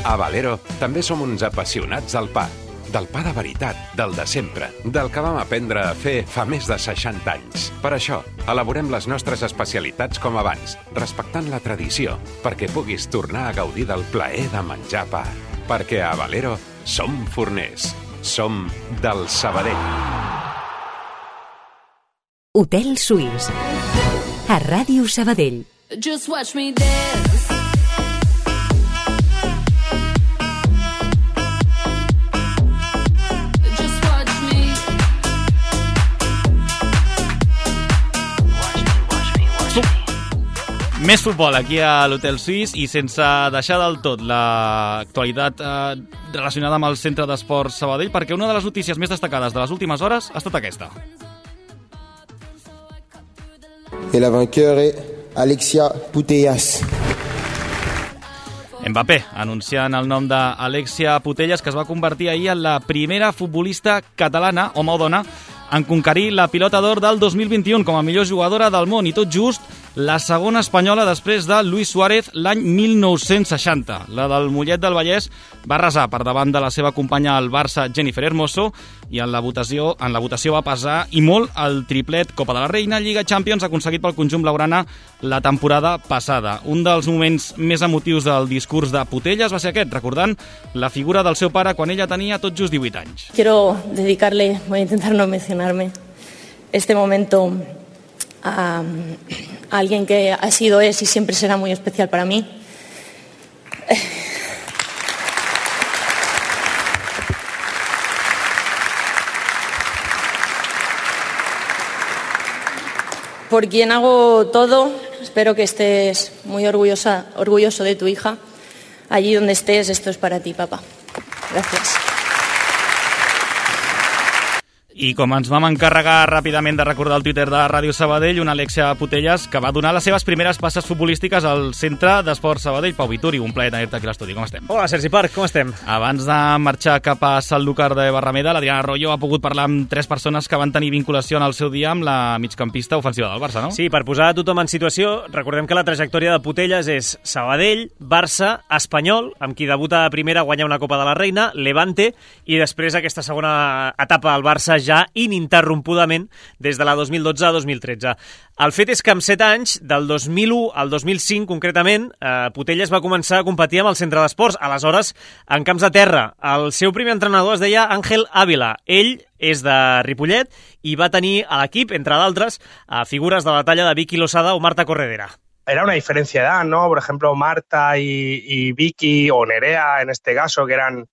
A Valero també som uns apassionats del pa. Del pa de veritat, del de sempre, del que vam aprendre a fer fa més de seixanta anys. Per això, elaborem les nostres especialitats com abans, respectant la tradició, perquè puguis tornar a gaudir del plaer de menjar pa. Perquè a Valero som forners. Som del Sabadell. Hotel Suís. A Ràdio Sabadell. Just watch me dance. Més futbol aquí a l'Hotel Suís i sense deixar del tot l'actualitat eh, relacionada amb el Centre d'Esports Sabadell, perquè una de les notícies més destacades de les últimes hores ha estat aquesta. Et la vainqueur est Alexia Putellas. Mbappé, anunciant el nom d'Alexia Putellas, que es va convertir ahir en la primera futbolista catalana, home o dona, en conquerir la pilota d'or del dos mil vint-i-u com a millor jugadora del món i tot just la segona espanyola després de Luis Suárez l'any mil nou-cents seixanta. La del Mollet del Vallès va arrasar per davant de la seva companya al Barça, Jennifer Hermoso, i en la votació en la votació va pesar i molt el triplet Copa de la Reina, Lliga Champions, aconseguit pel conjunt blaugrana la temporada passada. Un dels moments més emotius del discurs de Putellas va ser aquest, recordant la figura del seu pare quan ella tenia tot just divuit anys. Quiero dedicarle, voy a intentar no mencionarme, este momento a, a alguien que ha sido, es y siempre será muy especial para mí. Por quien hago todo, espero que estés muy orgullosa, orgulloso de tu hija. allí donde estés, esto es para ti, papá. Gracias. I com ens vam encarregar ràpidament de recordar el Twitter de Ràdio Sabadell, una Alexia Putellas que va donar les seves primeres passes futbolístiques al Centre d'Esports Sabadell. Pau Vituri, un plaer tenir-te aquí a l'estudi. Com estem? Hola, Sergi Parc, com estem? Abans de marxar cap a Sanlúcar de Barrameda, l'Adriana Arroyo ha pogut parlar amb tres persones que van tenir vinculació en el seu dia amb la migcampista ofensiva del Barça, no? Sí, per posar a tothom en situació, recordem que la trajectòria de Putellas és Sabadell, Barça, Espanyol, amb qui debuta a primera, guanya una Copa de la Reina, Levante, i després aquesta segona etapa al Barça ja ininterrompudament des de la dos mil dotze a dos mil tretze. El fet és que amb set anys, del dos mil u al dos mil cinc concretament, eh, Putellas va començar a competir amb el Centre d'Esports, aleshores en camps de terra. El seu primer entrenador es deia Ángel Ávila. Ell és de Ripollet i va tenir a l'equip, entre d'altres, a figures de la talla de Vicky Losada o Marta Corredera. Era una diferencia de edad, ¿no? Por ejemplo, Marta y, y Vicky o Nerea, en este caso, que eran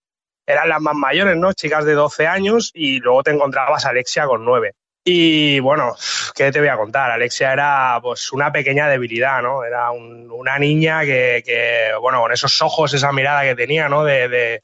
eran las más mayores, ¿no? Chicas de doce años, y luego te encontrabas a Alexia con nueve. Y bueno, ¿qué te voy a contar? Alexia era pues una pequeña debilidad, ¿no? Era un, una niña que, que, bueno, con esos ojos, esa mirada que tenía, ¿no? De, de,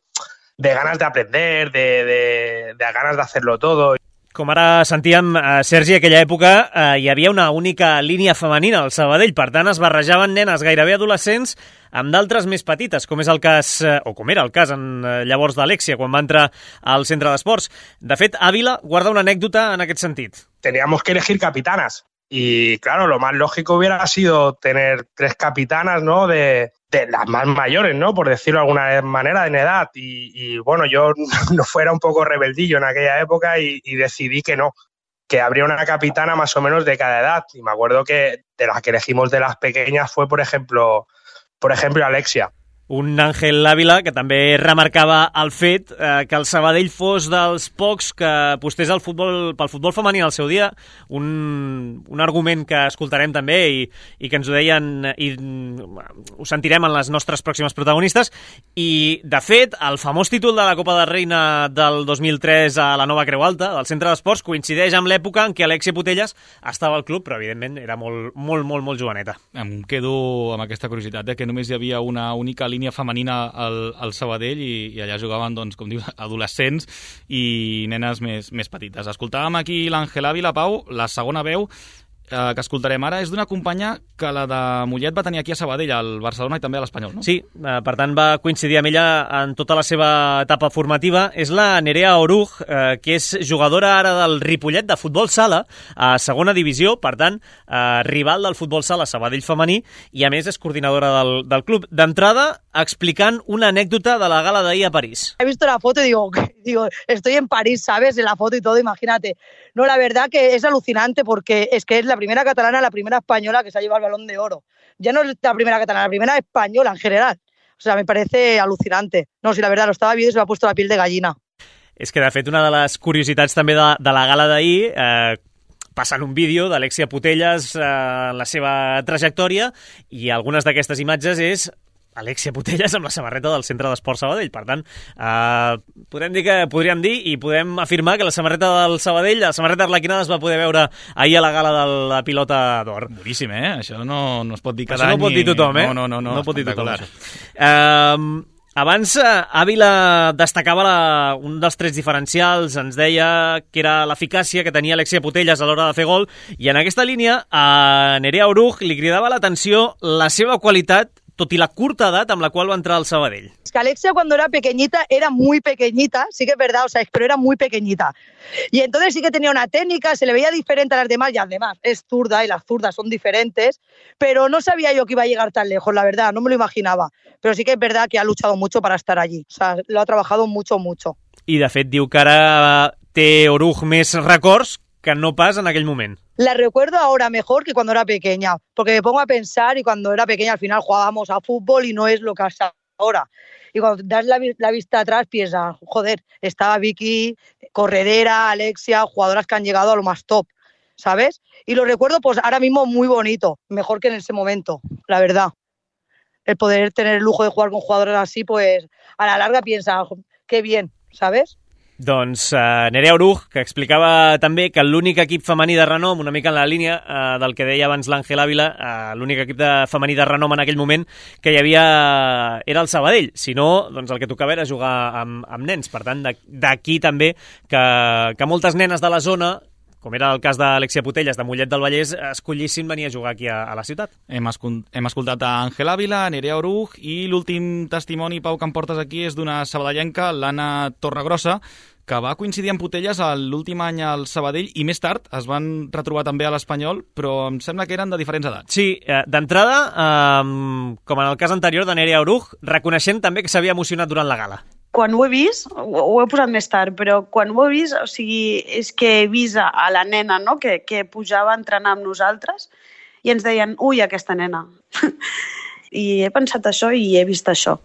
de ganas de aprender, de, de, de ganas de hacerlo todo. Com ara sentíem, eh, Sergi, aquella època eh, hi havia una única línia femenina al Sabadell, per tant es barrejaven nenes gairebé adolescents amb d'altres més petites, com és el cas, eh, o com era el cas en, eh, llavors d'Alexia, quan va entrar al centre d'esports. De fet, Ávila guarda una anècdota en aquest sentit. Teníamos que elegir capitanas y claro, lo más lógico hubiera sido tener tres capitanas, ¿no? De, de las más mayores, ¿no? Por decirlo de alguna manera, en edad. Y, y bueno, yo no fuera un poco rebeldillo en aquella época y, y decidí que no, que habría una capitana más o menos de cada edad. Y me acuerdo que de las que elegimos de las pequeñas fue, por ejemplo, por ejemplo, Alexia. Un Ángel Ávila que també remarcava el fet eh, que el Sabadell fos dels pocs que apostés al futbol, pel futbol femení al seu dia, un, un argument que escoltarem també i, i que ens ho deien i ho sentirem en les nostres pròximes protagonistes. I, de fet, el famós títol de la Copa de Reina del dos mil tres a la Nova Creu Alta, del Centre d'Esports, coincideix amb l'època en què Alexia Putellas estava al club, però evidentment era molt, molt, molt, molt joveneta. Em quedo amb aquesta curiositat de que només hi havia una única línia femenina al, al Sabadell i, i allà jugaven, doncs, com diu, adolescents i nenes més, més petites. Escoltàvem aquí l'Àngel Ávila, Pau, la segona veu eh, que escoltarem ara és d'una companya que la de Mollet va tenir aquí a Sabadell, al Barcelona i també a l'Espanyol, no? Sí, eh, per tant va coincidir amb ella en tota la seva etapa formativa. És la Nerea Oruj, eh, que és jugadora ara del Ripollet de futbol sala a segona divisió, per tant, eh, rival del futbol sala Sabadell femení, i a més és coordinadora del, del club. D'entrada, explicant una anècdota de la gala d'ahir a París. He visto la foto y digo, digo, estoy en París, ¿sabes? En la foto y todo, imagínate. No, la verdad que es alucinante porque es que es la primera catalana, la primera española que se ha llevado el Balón de Oro. Ya no es la primera catalana, la primera española en general. O sea, me parece alucinante. No, sí, la verdad, lo estaba viendo y se me ha puesto la piel de gallina. És que, de fet, una de les curiositats també de, de la gala d'ahir, eh, passant un vídeo d'Alexia Putellas, eh, la seva trajectòria, i algunes d'aquestes imatges és Alexia Putellas amb la samarreta del Centre d'Esports Sabadell. Per tant, eh, podem dir que podríem dir i podem afirmar que la samarreta del Sabadell, la samarreta arlequinada, es va poder veure ahir a la gala de la pilota d'or. Boníssim, eh? Això no, no es pot dir cada any. Això no pot dir tothom, eh? No, no, no. No, no pot dir tothom, això. Eh... Abans, Ávila destacava la, un dels trets diferencials, ens deia que era l'eficàcia que tenia Alexia Putellas a l'hora de fer gol, i en aquesta línia a Nerea Oruj li cridava l'atenció la seva qualitat, tot i la curta edat amb la cual va entrar al Sabadell. Es que Alexia cuando era pequeñita era muy pequeñita, sí que es verdad, o sea, pero era muy pequeñita. Y entonces sí que tenía una técnica, se le veía diferente a las demás, y además es zurda y las zurdas son diferentes, pero no sabía yo que iba a llegar tan lejos, la verdad, no me lo imaginaba. Pero sí que es verdad que ha luchado mucho para estar allí, o sea, lo ha trabajado mucho, mucho. I de fet diu que ara té Oruj més records que no pas en aquell moment. La recuerdo ahora mejor que cuando era pequeña, porque me pongo a pensar y cuando era pequeña al final jugábamos a fútbol y no es lo que es ahora. Y cuando das la, la vista atrás piensas, joder, estaba Vicky, Corredera, Alexia, jugadoras que han llegado a lo más top, ¿sabes? Y lo recuerdo pues ahora mismo muy bonito, mejor que en ese momento, la verdad. El poder tener el lujo de jugar con jugadoras así, pues a la larga piensas, qué bien, ¿sabes? Doncs uh, Nerea Oruj, que explicava també que l'únic equip femení de renom, una mica en la línia uh, del que deia abans l'Àngel Ávila, uh, l'únic equip de femení de renom en aquell moment que hi havia era el Sabadell. Si no, doncs el que tocava era jugar amb, amb nens. Per tant, d'aquí també que, que moltes nenes de la zona, com era el cas d'Alexia Putellas de Mollet del Vallès, escollissin venir a jugar aquí a, a la ciutat. Hem, escol hem escoltat a Àngel Ávila, Nerea Oruj, i l'últim testimoni, Pau, que em portes aquí és d'una sabadellenca, l'Anna Torregrossa, que va coincidir amb Putellas l'últim any al Sabadell i més tard es van retrobar també a l'Espanyol, però em sembla que eren de diferents edats. Sí, eh, d'entrada, eh, com en el cas anterior de Nerea Oruj, reconeixent també que s'havia emocionat durant la gala. Quan ho he vist, ho, ho he posat més tard, però quan ho he vist, o sigui, és que he vist a la nena, no?, que, que pujava a entrenar amb nosaltres i ens deien, ui, aquesta nena. I he pensat això i he vist això.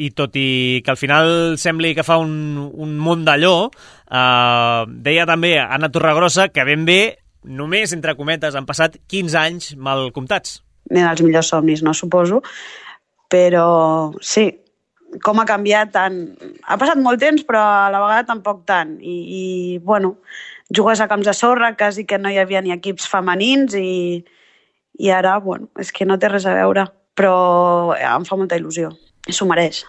I tot i que al final sembli que fa un, un món d'allò, eh, deia també Anna Torregrossa que ben bé, només, entre cometes, han passat quinze anys mal comptats. Nen els millors somnis, no, suposo, però sí, com ha canviat tant. Ha passat molt temps, però a la vegada tampoc tant. I, i bueno, jugues a camps de sorra, quasi que no hi havia ni equips femenins i, i ara, bueno, és que no té res a veure, però em fa molta il·lusió. S'ho mereix.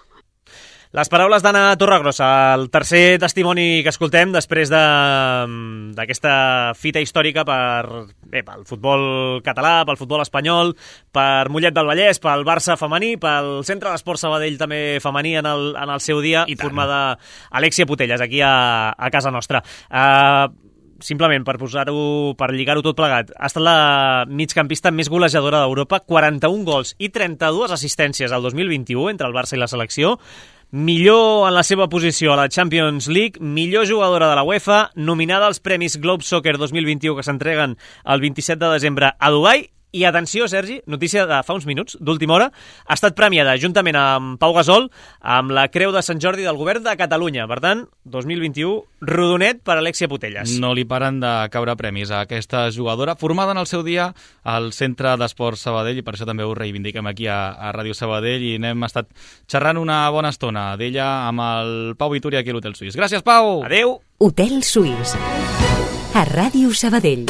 Les paraules d'Anna Torregrossa, el tercer testimoni que escoltem després d'aquesta de, fita històrica per, bé, pel futbol català, pel futbol espanyol, per Mollet del Vallès, pel Barça femení, pel Centre d'Esport Sabadell també femení en el, en el seu dia, i formada Alexia Putellas, aquí a, a casa nostra. Uh, simplement per posar-ho, per lligar-ho tot plegat, ha estat la migcampista més golejadora d'Europa, quaranta-un gols i trenta-dues assistències al dos mil vint-i-u entre el Barça i la selecció, millor en la seva posició a la Champions League, millor jugadora de la UEFA, nominada als Premis Globe Soccer dos mil vint-i-u que s'entreguen el vint-i-set de desembre a Dubai. I atenció, Sergi, notícia de fa uns minuts, d'última hora, ha estat premiada juntament amb Pau Gasol amb la Creu de Sant Jordi del Govern de Catalunya. Per tant, dos mil vint-i-u, rodonet per Alexia Putellas. No li paren de caure premis a aquesta jugadora, formada en el seu dia al Centre d'Esport Sabadell, i per això també ho reivindiquem aquí a, a Ràdio Sabadell, i n'hem estat xerrant una bona estona d'ella amb el Pau Vitúria aquí a l'Hotel Suís. Gràcies, Pau! Adéu! Hotel Suís, a Ràdio Sabadell.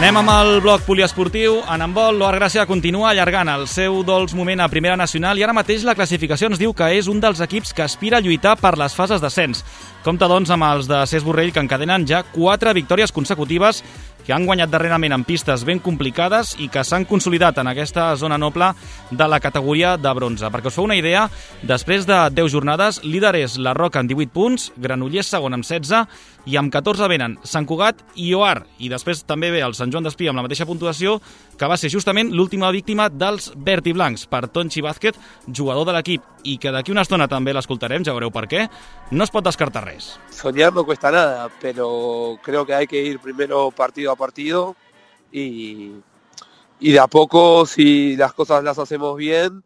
Anem amb el bloc poliesportiu. En handbol, l'Oar Gràcia continua allargant el seu dolç moment a Primera Nacional i ara mateix la classificació ens diu que és un dels equips que aspira a lluitar per les fases d'ascens. Compte, doncs, amb els de Cés Borrell, que encadenen ja quatre victòries consecutives, que han guanyat darrerament en pistes ben complicades i que s'han consolidat en aquesta zona noble de la categoria de bronze. Perquè us feu una idea, després de deu jornades, líder és la Roca amb divuit punts, Granollers segon amb setze, i amb catorze venen Sant Cugat i Oar. I després també ve el Sant Joan d'Espí amb la mateixa puntuació, que va ser justament l'última víctima dels verd i blancs, per Tonchi Vázquez, jugador de l'equip, i que d'aquí una estona també l'escoltarem, ja veureu per què. No es pot descartar res. Soñar no cuesta nada, pero creo que hay que ir primero partido a partido y, y de a poco, si las cosas las hacemos bien,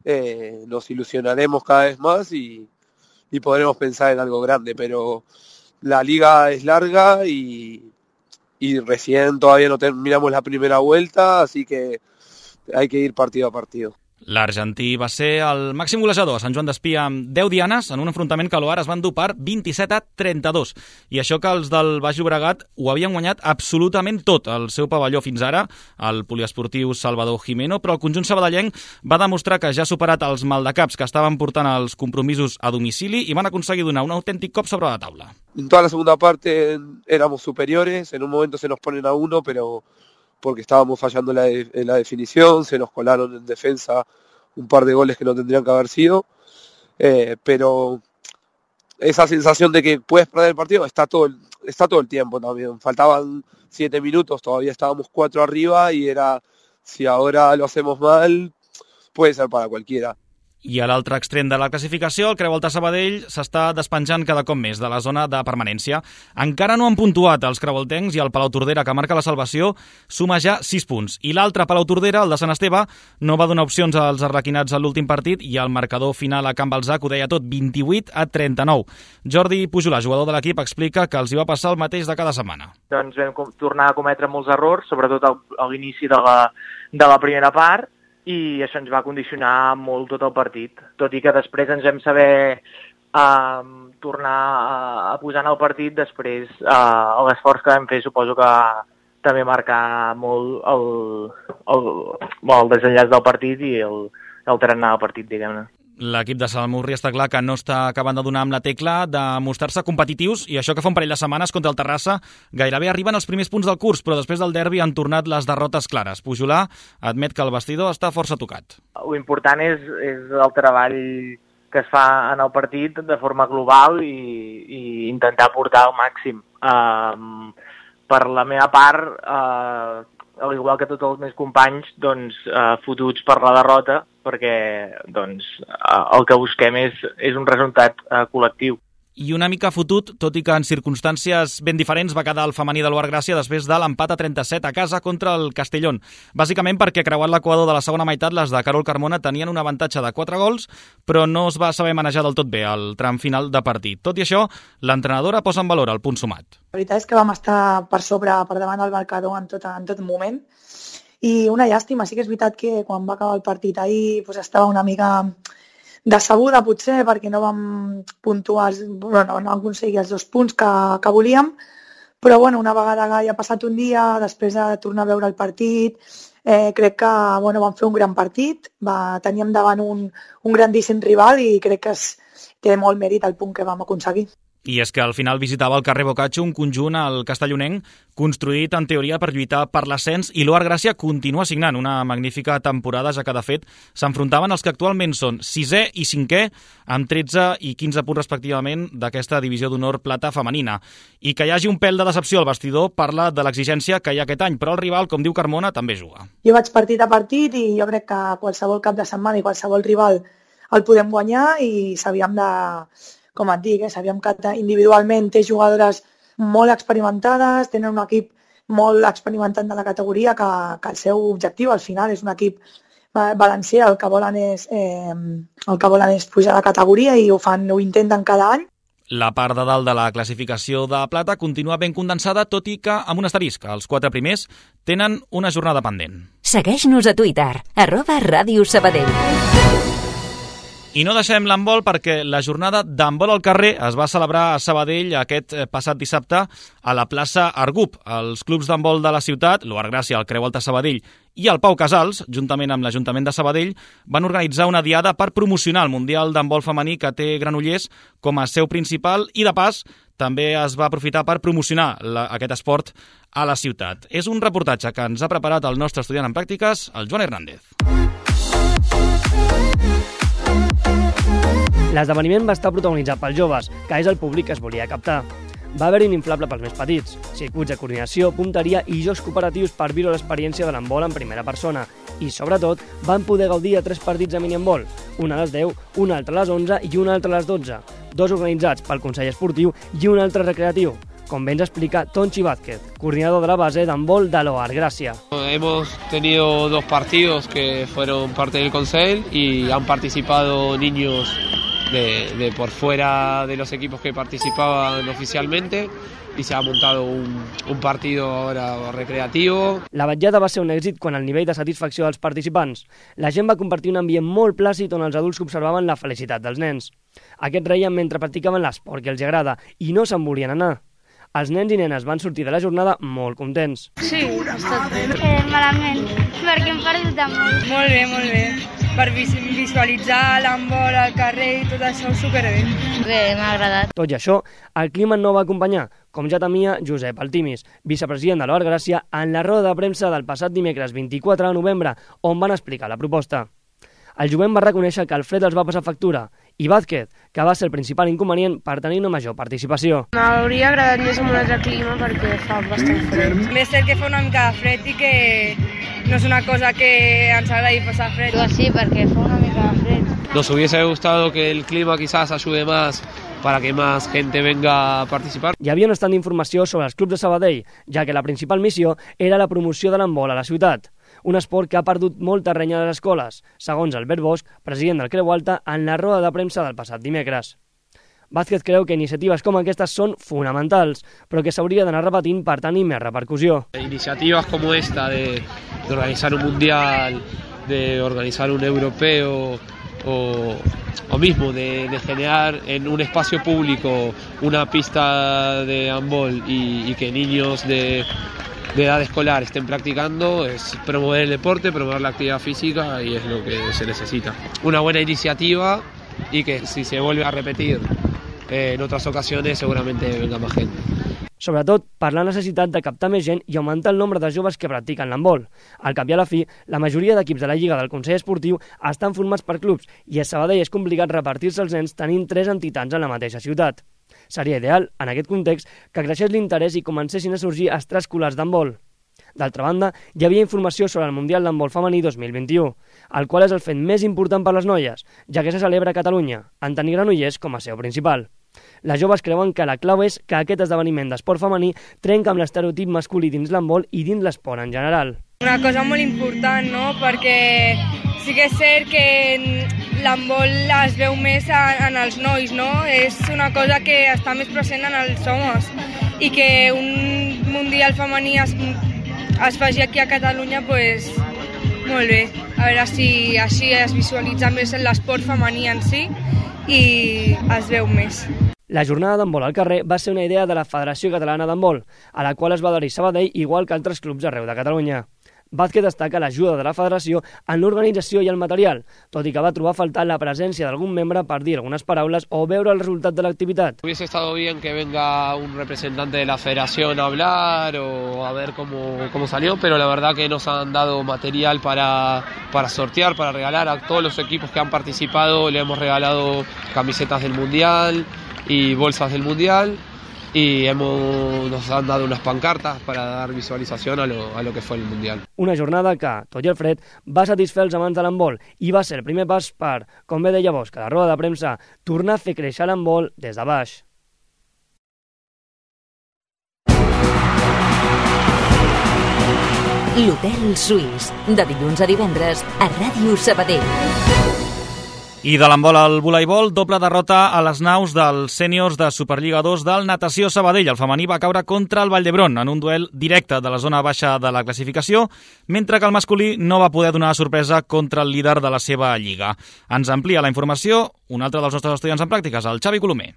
eh, nos ilusionaremos cada vez más y, y podremos pensar en algo grande, pero la liga es larga y, y recién todavía no terminamos la primera vuelta, así que hay que ir partido a partido. L'argentí va ser el màxim golejador a Sant Joan d'Espí amb deu dianes en un enfrontament que l'Oar es va endur per vint-i-set a trenta-dos. I això que els del Baix Llobregat ho havien guanyat absolutament tot al seu pavelló fins ara, el poliesportiu Salvador Jimeno, però el conjunt sabadellenc va demostrar que ja ha superat els maldecaps que estaven portant els compromisos a domicili i van aconseguir donar un autèntic cop sobre la taula. En toda la segunda parte éramos superiores, en un momento se nos ponen a uno, pero porque estábamos fallando en la, de, en la definición, se nos colaron en defensa un par de goles que no tendrían que haber sido, eh, pero esa sensación de que puedes perder el partido está todo el, está todo el tiempo también. Faltaban siete minutos, todavía estábamos cuatro arriba y era, si ahora lo hacemos mal, puede ser para cualquiera. I a l'altre extrem de la classificació, el Creu Alta Sabadell s'està despenjant cada cop més de la zona de permanència. Encara no han puntuat els creualtencs i el Palau-Tordera, que marca la salvació, suma ja sis punts. I l'altre Palau-Tordera, el de Sant Esteve, no va donar opcions als arlequinats a l'últim partit i el marcador final a Can Balzac ho deia tot, vint-i-vuit a trenta-nou. Jordi Pujolà, jugador de l'equip, explica que els hi va passar el mateix de cada setmana. Doncs vam tornar a cometre molts errors, sobretot a l'inici de la, de la primera part, i això ens va condicionar molt tot el partit, tot i que després ens vam saber eh, tornar a, a posar en el partit, després eh, l'esforç que vam fer suposo que també marcar molt el, el, el desenllaç del partit i el, el tarannà del partit, diguem-ne. L'equip de Salamurri està clar que no està acabant de donar amb la tecla de mostrar-se competitius i això que fa un parell de setmanes contra el Terrassa gairebé arriben els primers punts del curs, però després del derbi han tornat les derrotes clares. Pujolà admet que el vestidor està força tocat. L'important és, és el treball que es fa en el partit de forma global i, i intentar portar al màxim. Uh, per la meva part, uh, al igual que tots els meus companys, doncs, uh, fotuts per la derrota, perquè doncs, el que busquem és, és un resultat uh, col·lectiu. I una mica fotut, tot i que en circumstàncies ben diferents va quedar el femení de l'Uart Gràcia després de l'empat a trenta-set a casa contra el Castellón. Bàsicament perquè creuat l'equador de la segona meitat, les de Carol Carmona tenien un avantatge de quatre gols, però no es va saber manejar del tot bé al tram final de partit. Tot i això, l'entrenadora posa en valor el punt sumat. La veritat és que vam estar per sobre, per davant del marcador en tot, en tot moment. I una llàstima, sí que és veritat que quan va acabar el partit ahir doncs estava una mica decebuda potser perquè no vam puntuar, bueno, no vam aconseguir els dos punts que, que volíem, però bueno, una vegada que ja ha passat un dia, després de tornar a veure el partit, eh, crec que bueno, vam fer un gran partit, va, teníem davant un, un grandíssim rival i crec que es, té molt mèrit el punt que vam aconseguir. I és que al final visitava el carrer Bocaccio, un conjunt al castellonenc construït en teoria per lluitar per l'ascens, i l'Uart Gràcia continua signant una magnífica temporada, ja que de fet s'enfrontaven els que actualment són sisè i cinquè amb tretze i quinze punts respectivament d'aquesta divisió d'honor plata femenina. I que hi hagi un pèl de decepció al vestidor parla de l'exigència que hi ha aquest any, però el rival, com diu Carmona, també juga. Jo vaig partit a partit i jo crec que qualsevol cap de setmana i qualsevol rival el podem guanyar i sabíem de... Com et dic, eh, sabíem que individualment té jugadores molt experimentades, tenen un equip molt experimentat de la categoria, que, que el seu objectiu al final és un equip valencià, el que volen és, eh, el que volen és pujar de categoria i ho fan, ho intenten cada any. La part de dalt de la classificació de plata continua ben condensada, tot i que amb un asterisc. Els quatre primers tenen una jornada pendent. Segueix-nos a Twitter, arroba Ràdio Sabadell. I no deixem l'handbol perquè la jornada d'handbol al carrer es va celebrar a Sabadell aquest passat dissabte a la plaça Argup. Els clubs d'handbol de la ciutat, l'Uart Gràcia, el Creu Alta Sabadell i el Pau Casals, juntament amb l'Ajuntament de Sabadell, van organitzar una diada per promocionar el Mundial d'handbol femení que té Granollers com a seu principal i, de pas, també es va aprofitar per promocionar la, aquest esport a la ciutat. És un reportatge que ens ha preparat el nostre estudiant en pràctiques, el Joan Hernández. L'esdeveniment va estar protagonitzat pels joves, que és el públic que es volia captar. Va haver-hi un inflable pels més petits, circuits de coordinació, punteria i jocs cooperatius per viure l'experiència de l'handbol en primera persona. I, sobretot, van poder gaudir de tres partits de minihandbol, un a les deu, un altre a les onze i un altre a les dotze, dos organitzats pel Consell Esportiu i un altre recreatiu, com bé ens explica Tonchi Vázquez, coordinador de la base d'handbol de l'Uart Gràcia. Hemos tenido dos partidos que fueron parte del Consell y han participado niños de, de por fuera de los equipos que participaban oficialmente y se ha montado un, un partido ahora recreativo. La vetllada va ser un èxit quan el nivell de satisfacció dels participants. La gent va compartir un ambient molt plàcid on els adults observaven la felicitat dels nens. Aquests reien mentre practicaven l'esport que els agrada i no se'n volien anar. Els nens i nenes van sortir de la jornada molt contents. Sí, ha estat bé. Eh, malament, perquè hem perdut de molt. Molt bé, molt bé. Per visualitzar l'handbol al carrer i tot això, superbé. Bé, m'ha agradat. Tot i això, el clima no va acompanyar, com ja temia Josep Altimis, vicepresident de l'Uart Gràcia, en la roda de premsa del passat dimecres vint-i-quatre de novembre, on van explicar la proposta. El jovent va reconèixer que el fred els va passar factura, i Vázquez, que va ser el principal inconvenient per tenir una major participació. M'hauria agradat més amb un altre clima perquè fa bastant fred. Més cert que fa una mica de fred i que no és una cosa que ens agradi passar fred. Pues sí, perquè fa una mica de fred. Nos hubiese gustado que el clima quizás ayude más para que más gente venga a participar. Hi havia un estat d'informació sobre els clubs de Sabadell, ja que la principal missió era la promoció de l'handbol a la ciutat, un esport que ha perdut molt terreny a les escoles, segons Albert Bosch, president del Creu Alta, en la roda de premsa del passat dimecres. Vázquez creu que iniciatives com aquestes són fonamentals, però que s'hauria d'anar repetint per tenir més repercussió. Iniciativas como esta de, de organizar un mundial, de organizar un europeo, o, o mismo de, de generar en un espacio público una pista de handball y, y que niños de, de edad escolar estén practicando, es promover el deporte, promover la actividad física y es lo que se necesita. Una buena iniciativa y que si se vuelve a repetir eh, en otras ocasiones seguramente venga más gente. Sobretot per la necessitat de captar més gent i augmentar el nombre de joves que practiquen l'handbol. Al cap i a la fi, la majoria d'equips de la Lliga del Consell Esportiu estan formats per clubs i a Sabadell és complicat repartir-se els nens tenint tres entitats en la mateixa ciutat. Seria ideal, en aquest context, que creixés l'interès i comencessin a sorgir extraescolars d'handbol. D'altra banda, hi havia informació sobre el Mundial d'Handbol Femení dos mil vint-i-u, el qual és el fet més important per les noies, ja que se celebra a Catalunya, en tenir Granollers com a seu principal. Les joves creuen que la clau és que aquest esdeveniment d'esport femení trenca amb l'estereotip masculí dins l'handbol i dins l'esport en general. Una cosa molt important, no?, perquè sí que és cert que l'handbol es veu més en els nois, no? És una cosa que està més present en els homes i que un mundial femení es, es faci aquí a Catalunya, pues, molt bé. A veure si així es visualitza més l'esport femení en si i es veu més. La jornada d'handbol al carrer va ser una idea de la Federació Catalana d'Handbol, a la qual es va adherir Sabadell igual que altres clubs arreu de Catalunya. Vázquez destaca l'ajuda de la federació en l'organització i el material, tot i que va trobar a faltar la presència d'algun membre per dir algunes paraules o veure el resultat de l'activitat. Hubiese estado bien que venga un representante de la federación a hablar o a ver cómo, cómo salió, pero la verdad que nos han dado material para, para sortear, para regalar a todos los equipos que han participado. Le hemos regalado camisetas del Mundial y bolsas del Mundial y hemos, nos han dado unas pancartas para dar visualización a lo, a lo que fue el Mundial. Una jornada que, tot i el fred, va satisfer els amants de l'handbol i va ser el primer pas per, com bé deia Bosch, a la roda de premsa, tornar a fer créixer l'handbol des de baix. L'Hotel Suís, de dilluns a divendres a Ràdio Sabadell. I de l'handbol al voleibol, doble derrota a les naus dels sèniors de Superliga dos del Natació Sabadell. El femení va caure contra el Vall d'Hebron en un duel directe de la zona baixa de la classificació, mentre que el masculí no va poder donar sorpresa contra el líder de la seva lliga. Ens amplia la informació un altre dels nostres estudiants en pràctiques, el Xavi Colomer.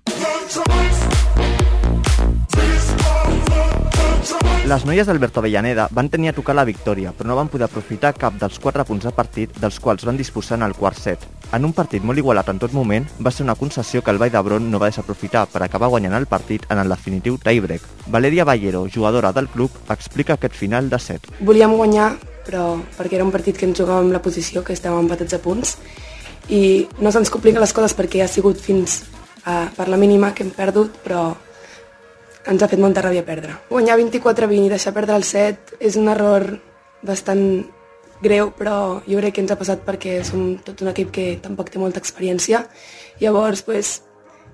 Les noies d'Alberto Avellaneda van tenir a tocar la victòria, però no van poder aprofitar cap dels quatre punts de partit dels quals van disposar en el quart set. En un partit molt igualat en tot moment, va ser una concessió que el Vall d'Hebron no va desaprofitar per acabar guanyant el partit en el definitiu tie-break. Valeria Ballero, jugadora del club, explica aquest final de set. Volíem guanyar, però perquè era un partit que ens jugàvem la posició, que estàvem empatats a punts, i no se'ns compliquen les coses perquè ha sigut fins a, per la mínima que hem perdut, però ens ha fet molta ràbia perdre. Guanyar vint-i-quatre a vint i deixar perdre el set és un error bastant greu, però jo crec que ens ha passat perquè som tot un equip que tampoc té molta experiència. Llavors, pues,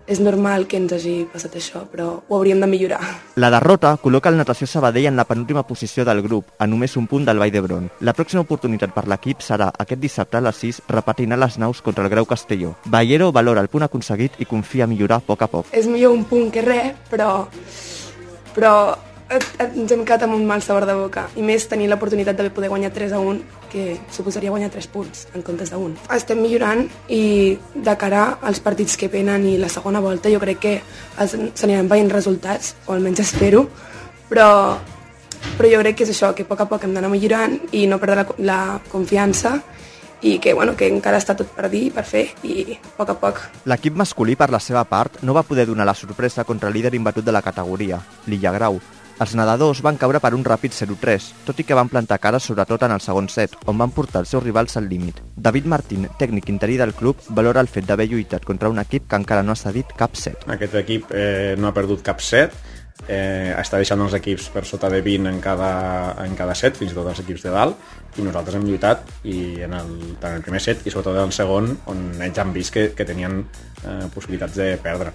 és normal que ens hagi passat això, però ho hauríem de millorar. La derrota col·loca el Natació Sabadell en la penúltima posició del grup, a només un punt del Vall d'Hebron. La pròxima oportunitat per l'equip serà aquest dissabte a les sis, repetint a les naus contra el Grau Castelló. Ballero valora el punt aconseguit i confia a millorar a poc a poc. És millor un punt que res, però, però ens hem quedat amb un mal sabor de boca. I més tenir l'oportunitat de poder guanyar tres a un, que suposaria guanyar tres punts en comptes d'un. Estem millorant i de cara als partits que venen i la segona volta jo crec que s'aniran veient resultats, o almenys espero, però, però jo crec que és això, que a poc a poc hem d'anar millorant i no perdre la, la confiança i que, bueno, que encara està tot per dir, per fer, i a poc a poc. L'equip masculí, per la seva part, no va poder donar la sorpresa contra el líder imbatut de la categoria, l'Illa Grau. Els nedadors van caure per un ràpid zero tres, tot i que van plantar cara sobretot en el segon set, on van portar els seus rivals al límit. David Martín, tècnic interí del club, valora el fet d'haver lluitat contra un equip que encara no ha cedit cap set. Aquest equip eh, no ha perdut cap set, eh, està deixant els equips per sota de vint en cada, en cada set, fins i tot els equips de dalt, i nosaltres hem lluitat i en el, tant en el primer set i sobretot en el segon, on ells han vist que, que tenien eh, possibilitats de perdre.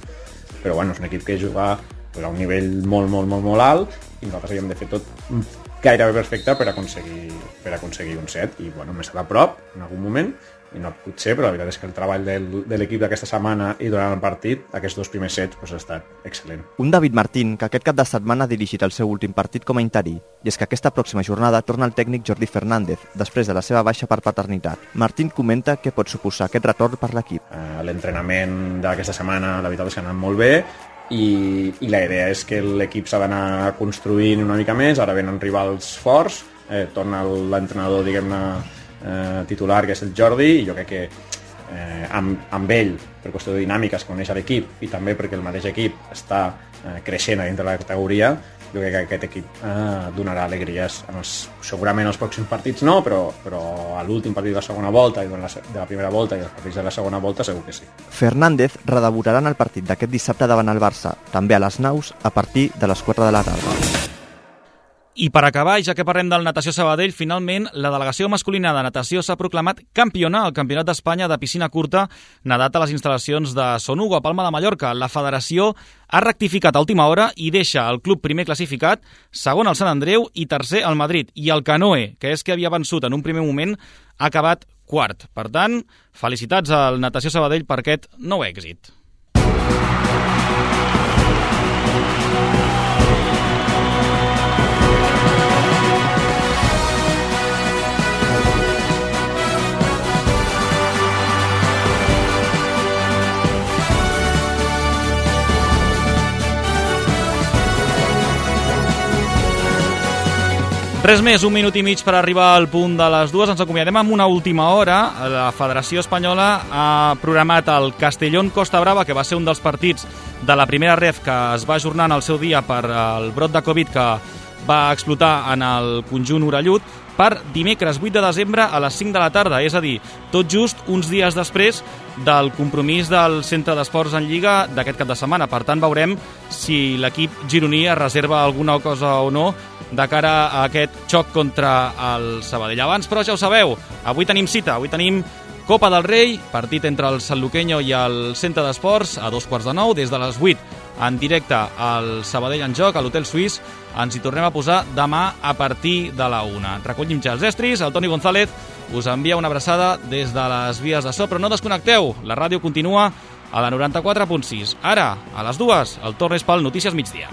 Però bueno, és un equip que juga pues, a un nivell molt, molt, molt, molt alt i nosaltres havíem de fer tot gairebé perfecte per aconseguir, per aconseguir un set i bueno, m'he estat a prop en algun moment i no potser, però la veritat és que el treball del, de l'equip d'aquesta setmana i durant el partit, aquests dos primers sets pues, ha estat excel·lent. Un David Martín que aquest cap de setmana ha dirigit el seu últim partit com a interí i és que aquesta pròxima jornada torna el tècnic Jordi Fernández després de la seva baixa per paternitat. Martín comenta què pot suposar aquest retorn per l'equip. Uh, L'entrenament d'aquesta setmana la veritat és que ha anat molt bé i, i la idea és que l'equip s'ha d'anar construint una mica més, ara venen rivals forts, eh, torna l'entrenador diguem-ne eh, titular que és el Jordi i jo crec que eh, amb, amb ell per qüestió de dinàmiques coneix l'equip i també perquè el mateix equip està eh, creixent a dintre de la categoria, jo crec que aquest equip eh, donarà alegries en els, segurament els pròxims partits no, però, però a l'últim partit de la segona volta i de la, de la primera volta i els partits de la segona volta segur que sí. Fernández redebutarà en el partit d'aquest dissabte davant el Barça, també a les Naus, a partir de les quatre de la tarda. I per acabar, ja que parlem del Natació Sabadell, finalment la delegació masculina de natació s'ha proclamat campiona al Campionat d'Espanya de piscina curta nedat a les instal·lacions de Son Hugo, a Palma de Mallorca. La federació ha rectificat a última hora i deixa el club primer classificat, segon el Sant Andreu i tercer el Madrid. I el Canoe, que és que havia vençut en un primer moment, ha acabat quart. Per tant, felicitats al Natació Sabadell per aquest nou èxit. Res més, un minut i mig per arribar al punt de les dues. Ens acomiadem amb una última hora. La Federació Espanyola ha programat el Castellón Costa Brava, que va ser un dels partits de la primera ref que es va ajornar en el seu dia per el brot de Covid que va explotar en el conjunt orellut, per dimecres vuit de desembre a les cinc de la tarda, és a dir, tot just uns dies després del compromís del Centre d'Esports en Lliga d'aquest cap de setmana. Per tant, veurem si l'equip gironí es reserva alguna cosa o no de cara a aquest xoc contra el Sabadell. Abans, però, ja ho sabeu, avui tenim cita, avui tenim Copa del Rei, partit entre el Sanluqueño i el Centre d'Esports a dos quarts de nou, des de les vuit en directe al Sabadell en joc, a l'Hotel Suís. Ens hi tornem a posar demà a partir de la una. Recollim ja els estris, el Toni González us envia una abraçada des de les vies de so, però no desconnecteu, la ràdio continua a la noranta-quatre punt sis. Ara, a les dues, el torn és pel Notícies Migdia.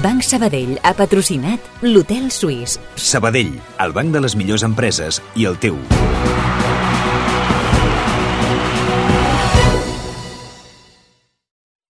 Banc Sabadell ha patrocinat l'Hotel Suís. Sabadell, el banc de les millors empreses i el teu.